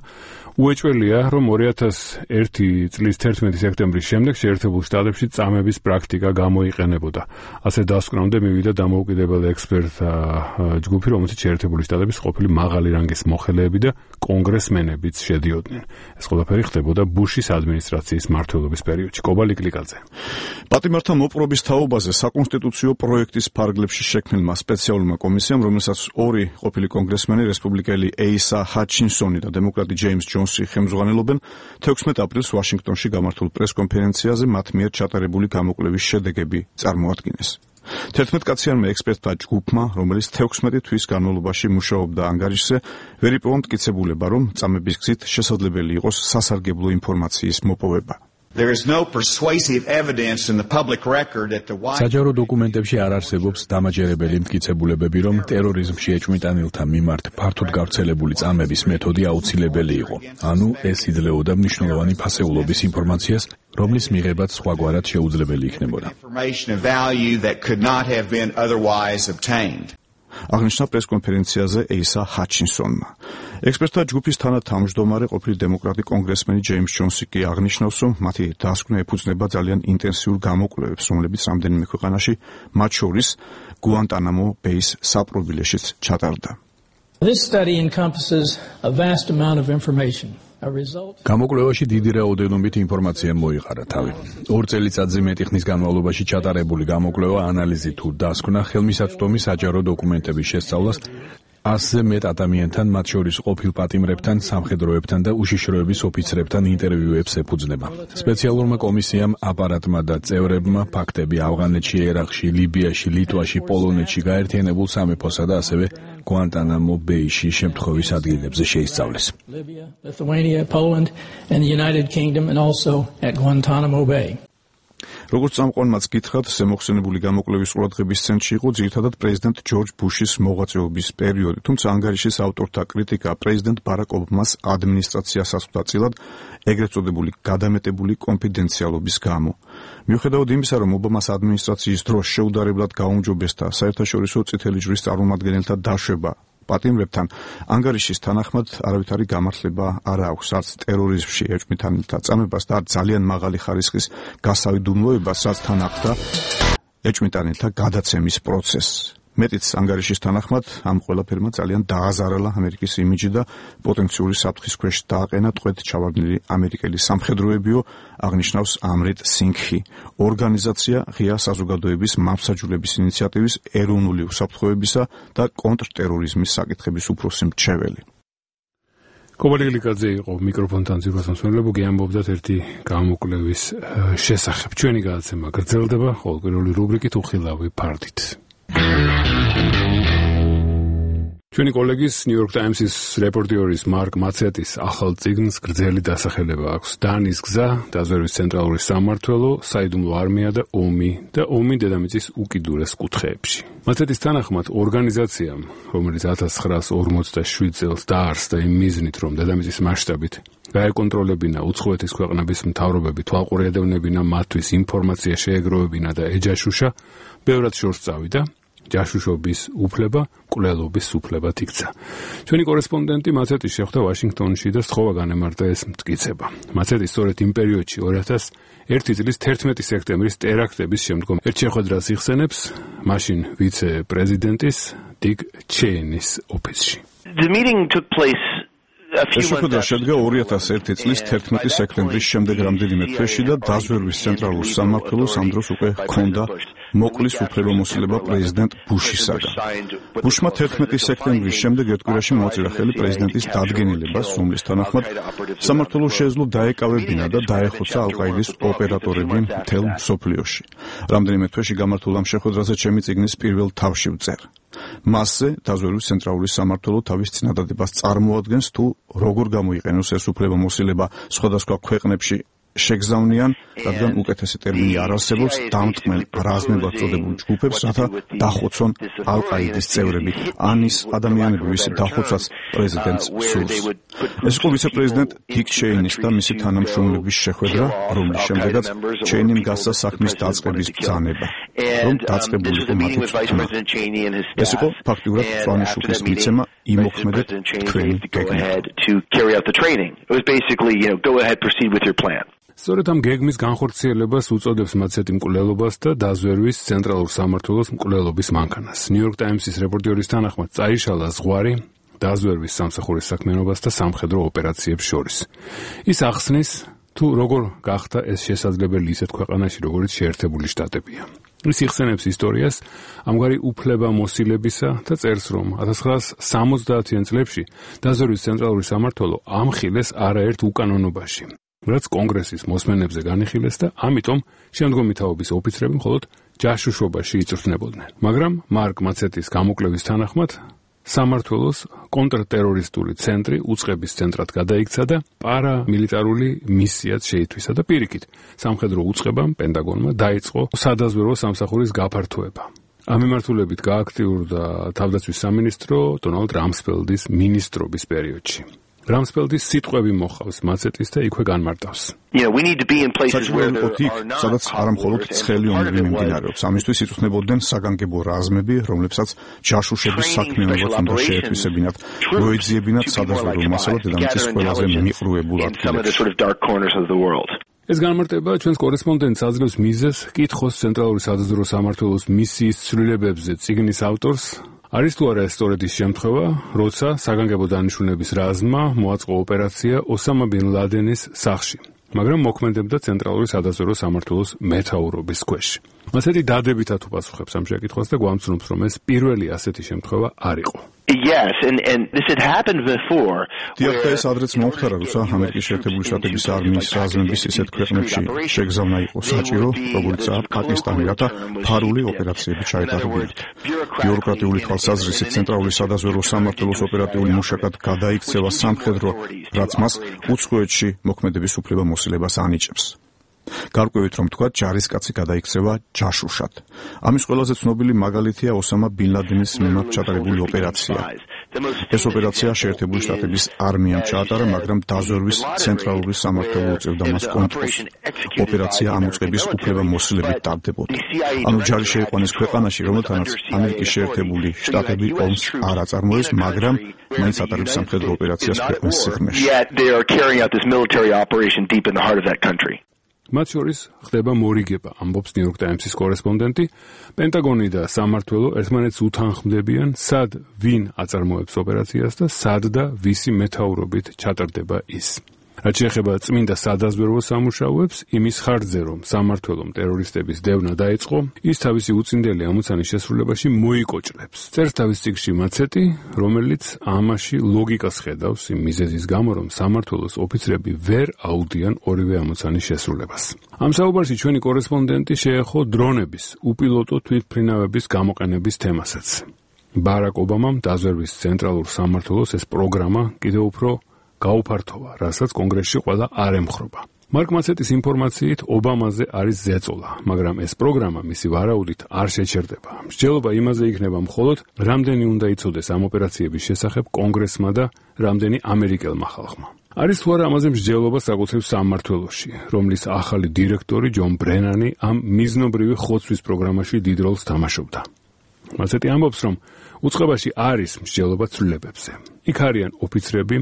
უეჭველია, რომ ორი ათას ერთი წლის თერთმეტი სექტემბრის შემდეგ შეერთებულ შტატებში წამების პრაქტიკა გამოიყენებოდა. ასე დასკვნამდე მივიდა დამოუკიდებელი ექსპერტთა ჯგუფი, რომელშიც შეერთებული შტატების ყოფილი მაღალი რანგის მოხელეები და კონგრესმენებიც შედიოდნენ. ეს ყველაფერი ხდებოდა ბუშის ადმინისტრაციის მმართველობის პერიოდში. კობალი კლიკაძე. პატიმართა მოპყრობის თაობაზე საკონსტიტუციო პროექტის ფარგლებში შექმნილმა სპეციალურმა კომისიამ, რომელსაც ორი ყოფილი კონგრესმენი რესპუბლიკელი ეისა ჰაჩინსონი და დემოკრატი ჯეიმს ჯონსი ხელმძღვანელობენ, თექვსმეტ აპრილს ვაშინგტონში გამართულ პრესკონფერენციაზე მათ მიერ ჩატარებული გამოკვლევის შედეგები წარმოადგინეს. თერთმეტკაციანმა ექსპერტთა ჯგუფმა, რომელიც თექვსმეტი თვის განმავლობაში მუშაობდა ანგარიშზე, ვერიპოვონ მტკიცებულება, რომ წამების გზით შესაძლებელი იყოს სასარგებლო ინფორმაციის მოპოვება. There is no persuasive evidence in the public record that the საჯარო დოკუმენტებში არ არსებობს დამაჯერებელი მტკიცებულებები, რომ ტერორიზმში ეჭვმიტანილთა მიმართ ფართოდ გავრცელებული წამების მეთოდი აუცილებელი იყო. ანუ ეს იძლეოდა მნიშვნელოვანი ფასეულობის ინფორმაციას, რომლის მიღებაც სხვაგვარად შეუძლებელი იქნებოდა. აღნიშნა პრესკონფერენციაზე ეისა ჰაჩინსონმა. ექსპერტთა ჯგუფის თანათავმჯდომარე ყოფილი დემოკრატი კონგრესმენი ჯეიმს ჯონსი კი აღნიშნავს, რომ მათი დასკვნა ეფუძნება ძალიან ინტენსიურ გამოკვლევებს, რომლებიც რამდენიმე ქვეყანაში, მათ შორის გუანტანამო ბეის საპრობილეშიც ჩატარდა. This study encompasses a vast amount of information. გამოკვლევაში დიდი რაოდენობით ინფორმაცია მოიყარა თავი. ორ წელიწადზე მეტი ხნის განმავლობაში ჩატარებული გამოკვლევა, ანალიზი თუ დასკვნა ხელმისაწვდომი საჯარო დოკუმენტების შესწავლას ასზე მეტ ადამიანთან, მათ შორის ყოფილ პატიმრებთან, სამხედროებთან და უშიშროების ოფიცრებთან ინტერვიუებს ეფუძნება. სპეციალურმა კომისიამ, აპარატმა და წევრებმა ფაქტები ავღანეთში, ერაყში, ლიბიაში, ლიტვაში, პოლონეთში გაერთიანებულ სამეფოსა და ასევე გუანტანამო ბეიში შემთხვევის ადგილებზე შეისწავლეს. Lithuania, Poland and the United Kingdom and also at Guantanamo Bay. როგორც წამყვანმაც გითხრათ, ზემოხსენებული გამოკვლევის ყურადღების ცენტრში იყო ძირითადად პრეზიდენტ ჯორჯ ბუშის მოღვაწეობის პერიოდი, თუმცა ანგარიშის ავტორთა კრიტიკა პრეზიდენტ ბარაკ ობამას ადმინისტრაციას ასხდა წილად ეგრეთ წოდებული გადამეტებული კონფიდენციალობის გამო. მიუხედავად იმისა, რომ ობამას ადმინისტრაციის დროს შეუდარებლად გაუმჯობესდა საერთაშორისო წითელი ჯვრის წარმომადგენელთა დაშვება პატიმრებთან, ანგარიშის თანახმად არავითარი გამართლება არ აქვს არც ტერორიზმში ეჭვმიტანილთა წამებას და არც ძალიან მაღალი ხარისხის გასავიდუმლოებას, რაც თან ახლდა ეჭვმიტანილთა გადაცემის პროცესს. მეტიც ანგარიშის თანახმად ამ ყველაფერმა ძალიან დააზარალა ამერიკის იმიჯი და პოტენციური საფრთხის ქვეშ დააყენა ტყვედ ჩავარდნილი ამერიკელი სამხედროებიო, აღნიშნავს ამრედ სინგჰი, ორგანიზაცია ღია საზოგადოების მამსაჯულების ინიციატივის ეროვნული უსაფრთხოებისა და კონტრტერორიზმის საკითხების უფროსი მრჩეველი. კობალი გლიკაძე იყო მიკროფონთან ძირფასმსმელებო, გეამბობდათ ერთი გამოკვლევის შესახებ. ჩვენი გადაცემა გრძელდება, ხოლო პირველი რუბრიკით უხილავი ფარდით. ჩვენი კოლეგის New York Times-ის რეპორტიორის მარკ მაცეტის ახალ წიგნს გრძელი დასახელება აქვს. დანის გზა, დაზვერვის ცენტრალური სამმართველო, საიდუმლო არმია და ომი და ომი დედამიწის უკიდურეს კუთხეებში. მაცეტის თანახმად ორგანიზაციამ, რომელიც ათას ცხრაას ორმოცდაშვიდ წელს დაარსდა იმ მიზნით, რომ დედამიწის მასშტაბით გაეკონტროლებინა უცხოეთის ქვეყნების მთავრობები, თვალყურადევნებინა მათთვის ინფორმაცია შეეგროვებინა და ეჯაშუშა, ბევრად შორს წავიდა. ჯაშუშობის უფლება მკვლელობის უფლებად იქცა. ჩვენი კორესპონდენტი მაცეტი შეხვდა ვაშინგტონში და სთხოვა განემარტა ეს მტკიცება. მაცეტი სწორედ იმ პერიოდში ორი ათას ერთი წლის თერთმეტი სექტემბრის ტერაქტების შემდგომ ერთ შეხვედრას იხსენებს მაშინ ვიცე-პრეზიდენტის დიგ ჩეინის ოფისში. The meeting took place ეს შეხვედრა შედგა ორი ათას ერთი წლის თერთმეტი სექტემბრის შემდეგ რამდენიმე თვეში და დაზვერვის ცენტრალურ სამმართველოს ამ დროს უკვე ჰქონდა მოკლის უფლებამოსილება პრეზიდენტ ბუშისაგან. ბუშმა თერთმეტი სექტემბრის შემდეგ ერთ კვირაში მოაწერა ხელი პრეზიდენტის დადგენილებას, რომლის თანახმად სამმართველოს შეეძლო დაეკავებინა და დაეხოცა ალ-ყაიდის ოპერატორები მთელ მსოფლიოში. რამდენიმე თვეში გამართულ ამ შეხვედრაზე ჩემი წიგნის პირველ თავში ვწერ. მასზე დაზვერვის ცენტრალური სამმართველო თავის წინადადებას წარმოადგენს თუ როგორ გამოიყენოს ეს უფლებამოსილება სხვადასხვა ქვეყნებში შეგზავნიან, რადგან უკეთესი ტერმინი არ არსებობს დამტყმელ რაზმებად წოდებულ ჯგუფებს, რათა დახოცონ ალ-ყაიდის წევრები, ან ის ადამიანები, ვისი დახოცვაც პრეზიდენტს სურს. ეს იყო ვიცე-პრეზიდენტ დიგ ჩეინის და მისი თანამშრომლების შეხვედრა, რომლის შემდეგაც ჩეინიმ გასცა საქმის დაწყების ბრძანება, რომ დაწყებულიყო მათი თქმა. ეს იყო ფაქტიურად მწვანე შუქის მიცემა იმოქმედეთ თქვენი გეგმა. სწორედ ამ გეგმის განხორციელებას უწოდებს მაცეტი მკვლელობას და დაზვერვის ცენტრალურ სამმართველოს მკვლელობის მანქანას. ნიუ-იორკ ტაიმსის რეპორტიორის თანახმად წაიშალა ზღვარი დაზვერვის სამსახურის საქმიანობას და სამხედრო ოპერაციებს შორის. ის ახსნის თუ როგორ გახდა ეს შესაძლებელი ისეთ ქვეყანაში, როგორც შეერთებული შტატებია. ის იხსენებს ისტორიას ამგვარი უფლებამოსილებისა და წერს, რომ ათას ცხრაასა სამოცდაათიან წლებში დაზვერვის ცენტრალური სამმართველო ამხილეს არაერთ უკანონობაში, რაც კონგრესის მოსმენებზე განიხილეს და ამიტომ შემდგომი თაობის ოფიცრები მხოლოდ ჯაშუშობაში იწვრთნებოდნენ. მაგრამ მარკ მაცეტის გამოკვლევის თანახმად სამმართველოს კონტრტერორისტული ცენტრი უწყების ცენტრად გადაიქცა და პარამილიტარული მისიაც შეითვისა და პირიქით სამხედრო უწყებამ პენტაგონმა დაიწყო სადაზვერვო სამსახურის გაფართოება. ამ მიმართულებით გააქტიურდა თავდაცვის სამინისტრო დონალდ რამსფელდის მინისტრობის პერიოდში. რამსფელდის სიტყვები მოხავს მაცეტის და იქვე განმარტავს. სადაც არა მხოლოდ ცხელი ომები მიმდინარეობს. ამისთვის იწვრთნებოდნენ საგანგებო რაზმები, რომლებსაც ჯაშუშების საქმიანობაც უნდა შეეთვისებინათ, მოეძიებინათ სადაზვერვო მასალა დედამიწის ყველაზე მიყრუებულ ადგილებში. ეს განმარტება ჩვენს კორესპონდენტს აძლევს მიზეზს კითხოს ცენტრალური სადაზვერვო სამმართველოს მისიის ცვლილებებზე წიგნის ავტორს. არის თუ არა ეს სწორედ ის შემთხვევა, როცა საგანგებო დანიშნულების რაზმმა მოაწყო ოპერაცია ოსამა ბინ ლადენის სახლში, მაგრამ მოქმედებდა ცენტრალური სადაზვერვო სამმართველოს მეთაურობის ქვეშ. მასეთი დადებითად უპასუხებს ამ შეკითხვას და გვამცნობს, რომ ეს პირველი ასეთი შემთხვევა არ იყო. Yes, and and this had happened before. დიახ, ადრეც მომხდარა, როცა ამერიკის შეერთებული შტატების არმიის რაზმების ისეთ ქვეყნებში შეგზავნა იყო საჭირო, როგორიცაა პაკისტანი, რათა ფარული ოპერაციები ჩაეტარებინათ. ბიუროკრატიული თვალსაზრისით ცენტრალური სადაზვერვო სამმართველოს ოპერატიული მუშაკად გადაიქცევა სამხედრო, რაც მას უცხოეთში მოქმედების უფლებამოსილებას ანიჭებს. გარკვევით რომ თქვა ჯარისკაცი გადაიქცევა ჯაშუშად. ამის ყველაზე ცნობილი მაგალითია ოსამა ბინ ლადენის მიმართ ჩატარებული ოპერაცია. ეს ოპერაცია შეერთებული შტატების არმიამ ჩაატარა, მაგრამ დაზვერვის ცენტრალური სამმართველო უწევდა მას კონტროლს. ოპერაცია ამ უწყების უფლებამოსილებით ტარდებოდა. ანუ ჯარი შეიყვანეს ქვეყანაში, რომელთანაც ამერიკის შეერთებული შტატები ომს არ აწარმოებს, მაგრამ მაინც ატარებს სამხედრო ოპერაციას ქვეყნის სიღრმეში. მათ შორის ხდება მორიგება, ამბობს ნიუ-იორკ ტაიმსის კორესპონდენტი. პენტაგონი და სამმართველო ერთმანეთს უთანხმდებიან, სად ვინ აწარმოებს ოპერაციას და სად და ვისი მეთაურობით ჩატარდება ის. რაც შეეხება წმინდა სადაზვერვო სამუშაოებს, იმის ხარჯზე, რომ სამმართველომ ტერორისტების დევნა დაიწყო, ის თავისი უწინდელი ამოცანის შესრულებაში მოიკოჭლებს. წერს თავის წიგნში მაცეტი, რომელიც ამაში ლოგიკას ხედავს იმ მიზეზის გამო, რომ სამმართველოს ოფიცრები ვერ აუდიან ორივე ამოცანის შესრულებას. ამ საუბარში ჩვენი კორესპონდენტი შეეხო დრონების, უპილოტო თვითმფრინავების გამოყენების თემასაც. ბარაკ ობამამ დაზვერვის ცენტრალურ სამმართველოს ეს პროგრამა კიდევ უფრო გაუფართოვა, რასაც კონგრესში ყველა არ ემხრობა. მარკ მაცეტის ინფორმაციით ობამაზე არის ზეწოლა, მაგრამ ეს პროგრამა მისი ვარაუდით არ შეჩერდება. მსჯელობა იმაზე იქნება მხოლოდ, რამდენი უნდა იცოდეს ამ ოპერაციების შესახებ კონგრესმა და რამდენი ამერიკელმა ხალხმა. არის თუ არა ამაზე მსჯელობა საკუთრივ სამმართველოში, რომლის ახალი დირექტორი ჯონ ბრენანი ამ მიზნობრივი ხოცვის პროგრამაში დიდ როლს თამაშობდა. მასეთი ამბობს, რომ უწყებაში არის მსჯელობა ცვლილებებზე. იქ არიან ოფიცრები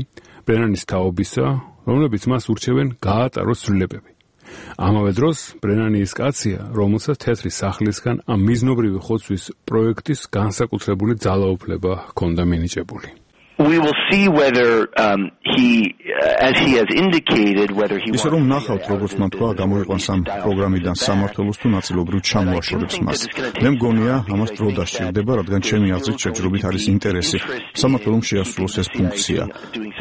ბრენანის თაობისა, რომლებიც მას ურჩევენ გაატაროს ცვლილებები. ამავე დროს ბრენანი ის კაცია, რომელსაც თეთრი სახლისგან ამ მიზნობრივი ხოცვის პროექტის განსაკუთრებული ძალაუფლება ჰქონდა მინიჭებული. We will see whether um, he, uh, as he has indicated, whether he wants... ისე რომ ნახავთ, როგორც მან თქვა, გამოიყვანს ამ პროგრამიდან სამართლოს თუ ნაწილობრივ ჩამოაშორებს მას. მე მგონია, ამას დრო დასჭირდება, რადგან ჩემი აზრით შეჯრობით არის ინტერესი სამართლომ შეასრულოს ეს ფუნქცია.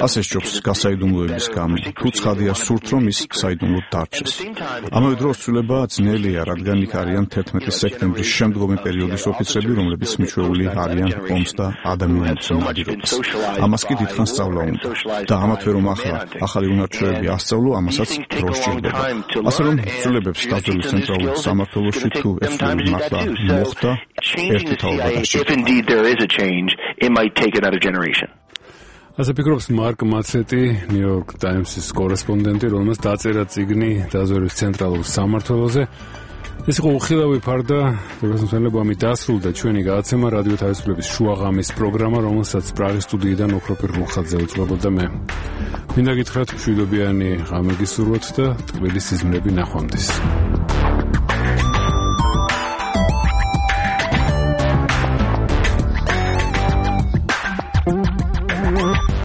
ასე სჯობს გასაიდუმლოების გამო. თუ ცხადია სურთ, რომ ის საიდუმლოდ დარჩეს. ამავე დროს ცვლილება ძნელია, რადგან იქ არიან თერთმეტი სექტემბრის შემდგომი პერიოდის ოფიცრები, რომლებიც მიჩვეული არიან ომს და ადამიანების ნადირობას. ამას კი დიდხანს სწავლა უნდა და ამათვე რომ ახლა ახალი უნარჩვევები ასწავლო, ამასაც დრო სჭირდება. ასე რომ ცვლილებებს დაძველი ცენტრალურ სამართლოში თუ ეს მართლა მოხდა, ერთი თაობა დასჭირდება. ასე ფიქრობს მარკ მაცეტი, New York Times-ის კორესპონდენტი, რომელმაც დაწერა წიგნი დაზვერვის ცენტრალურ სამართლოზე. ეს იყო უხილავი ფარდა, დღესმცემლები ამით დასრულდა ჩვენი გადაცემა რადიო თავისუფლების შუაღამის პროგრამა, რომელსაც პრაღის სტუდიიდან ოქროპირ რუხაძე უძღვებოდა მე. მინდა გითხრათ მშვიდობიანი ღამე გისურვოთ და ტკბილი სიზმრები ნახვამდის.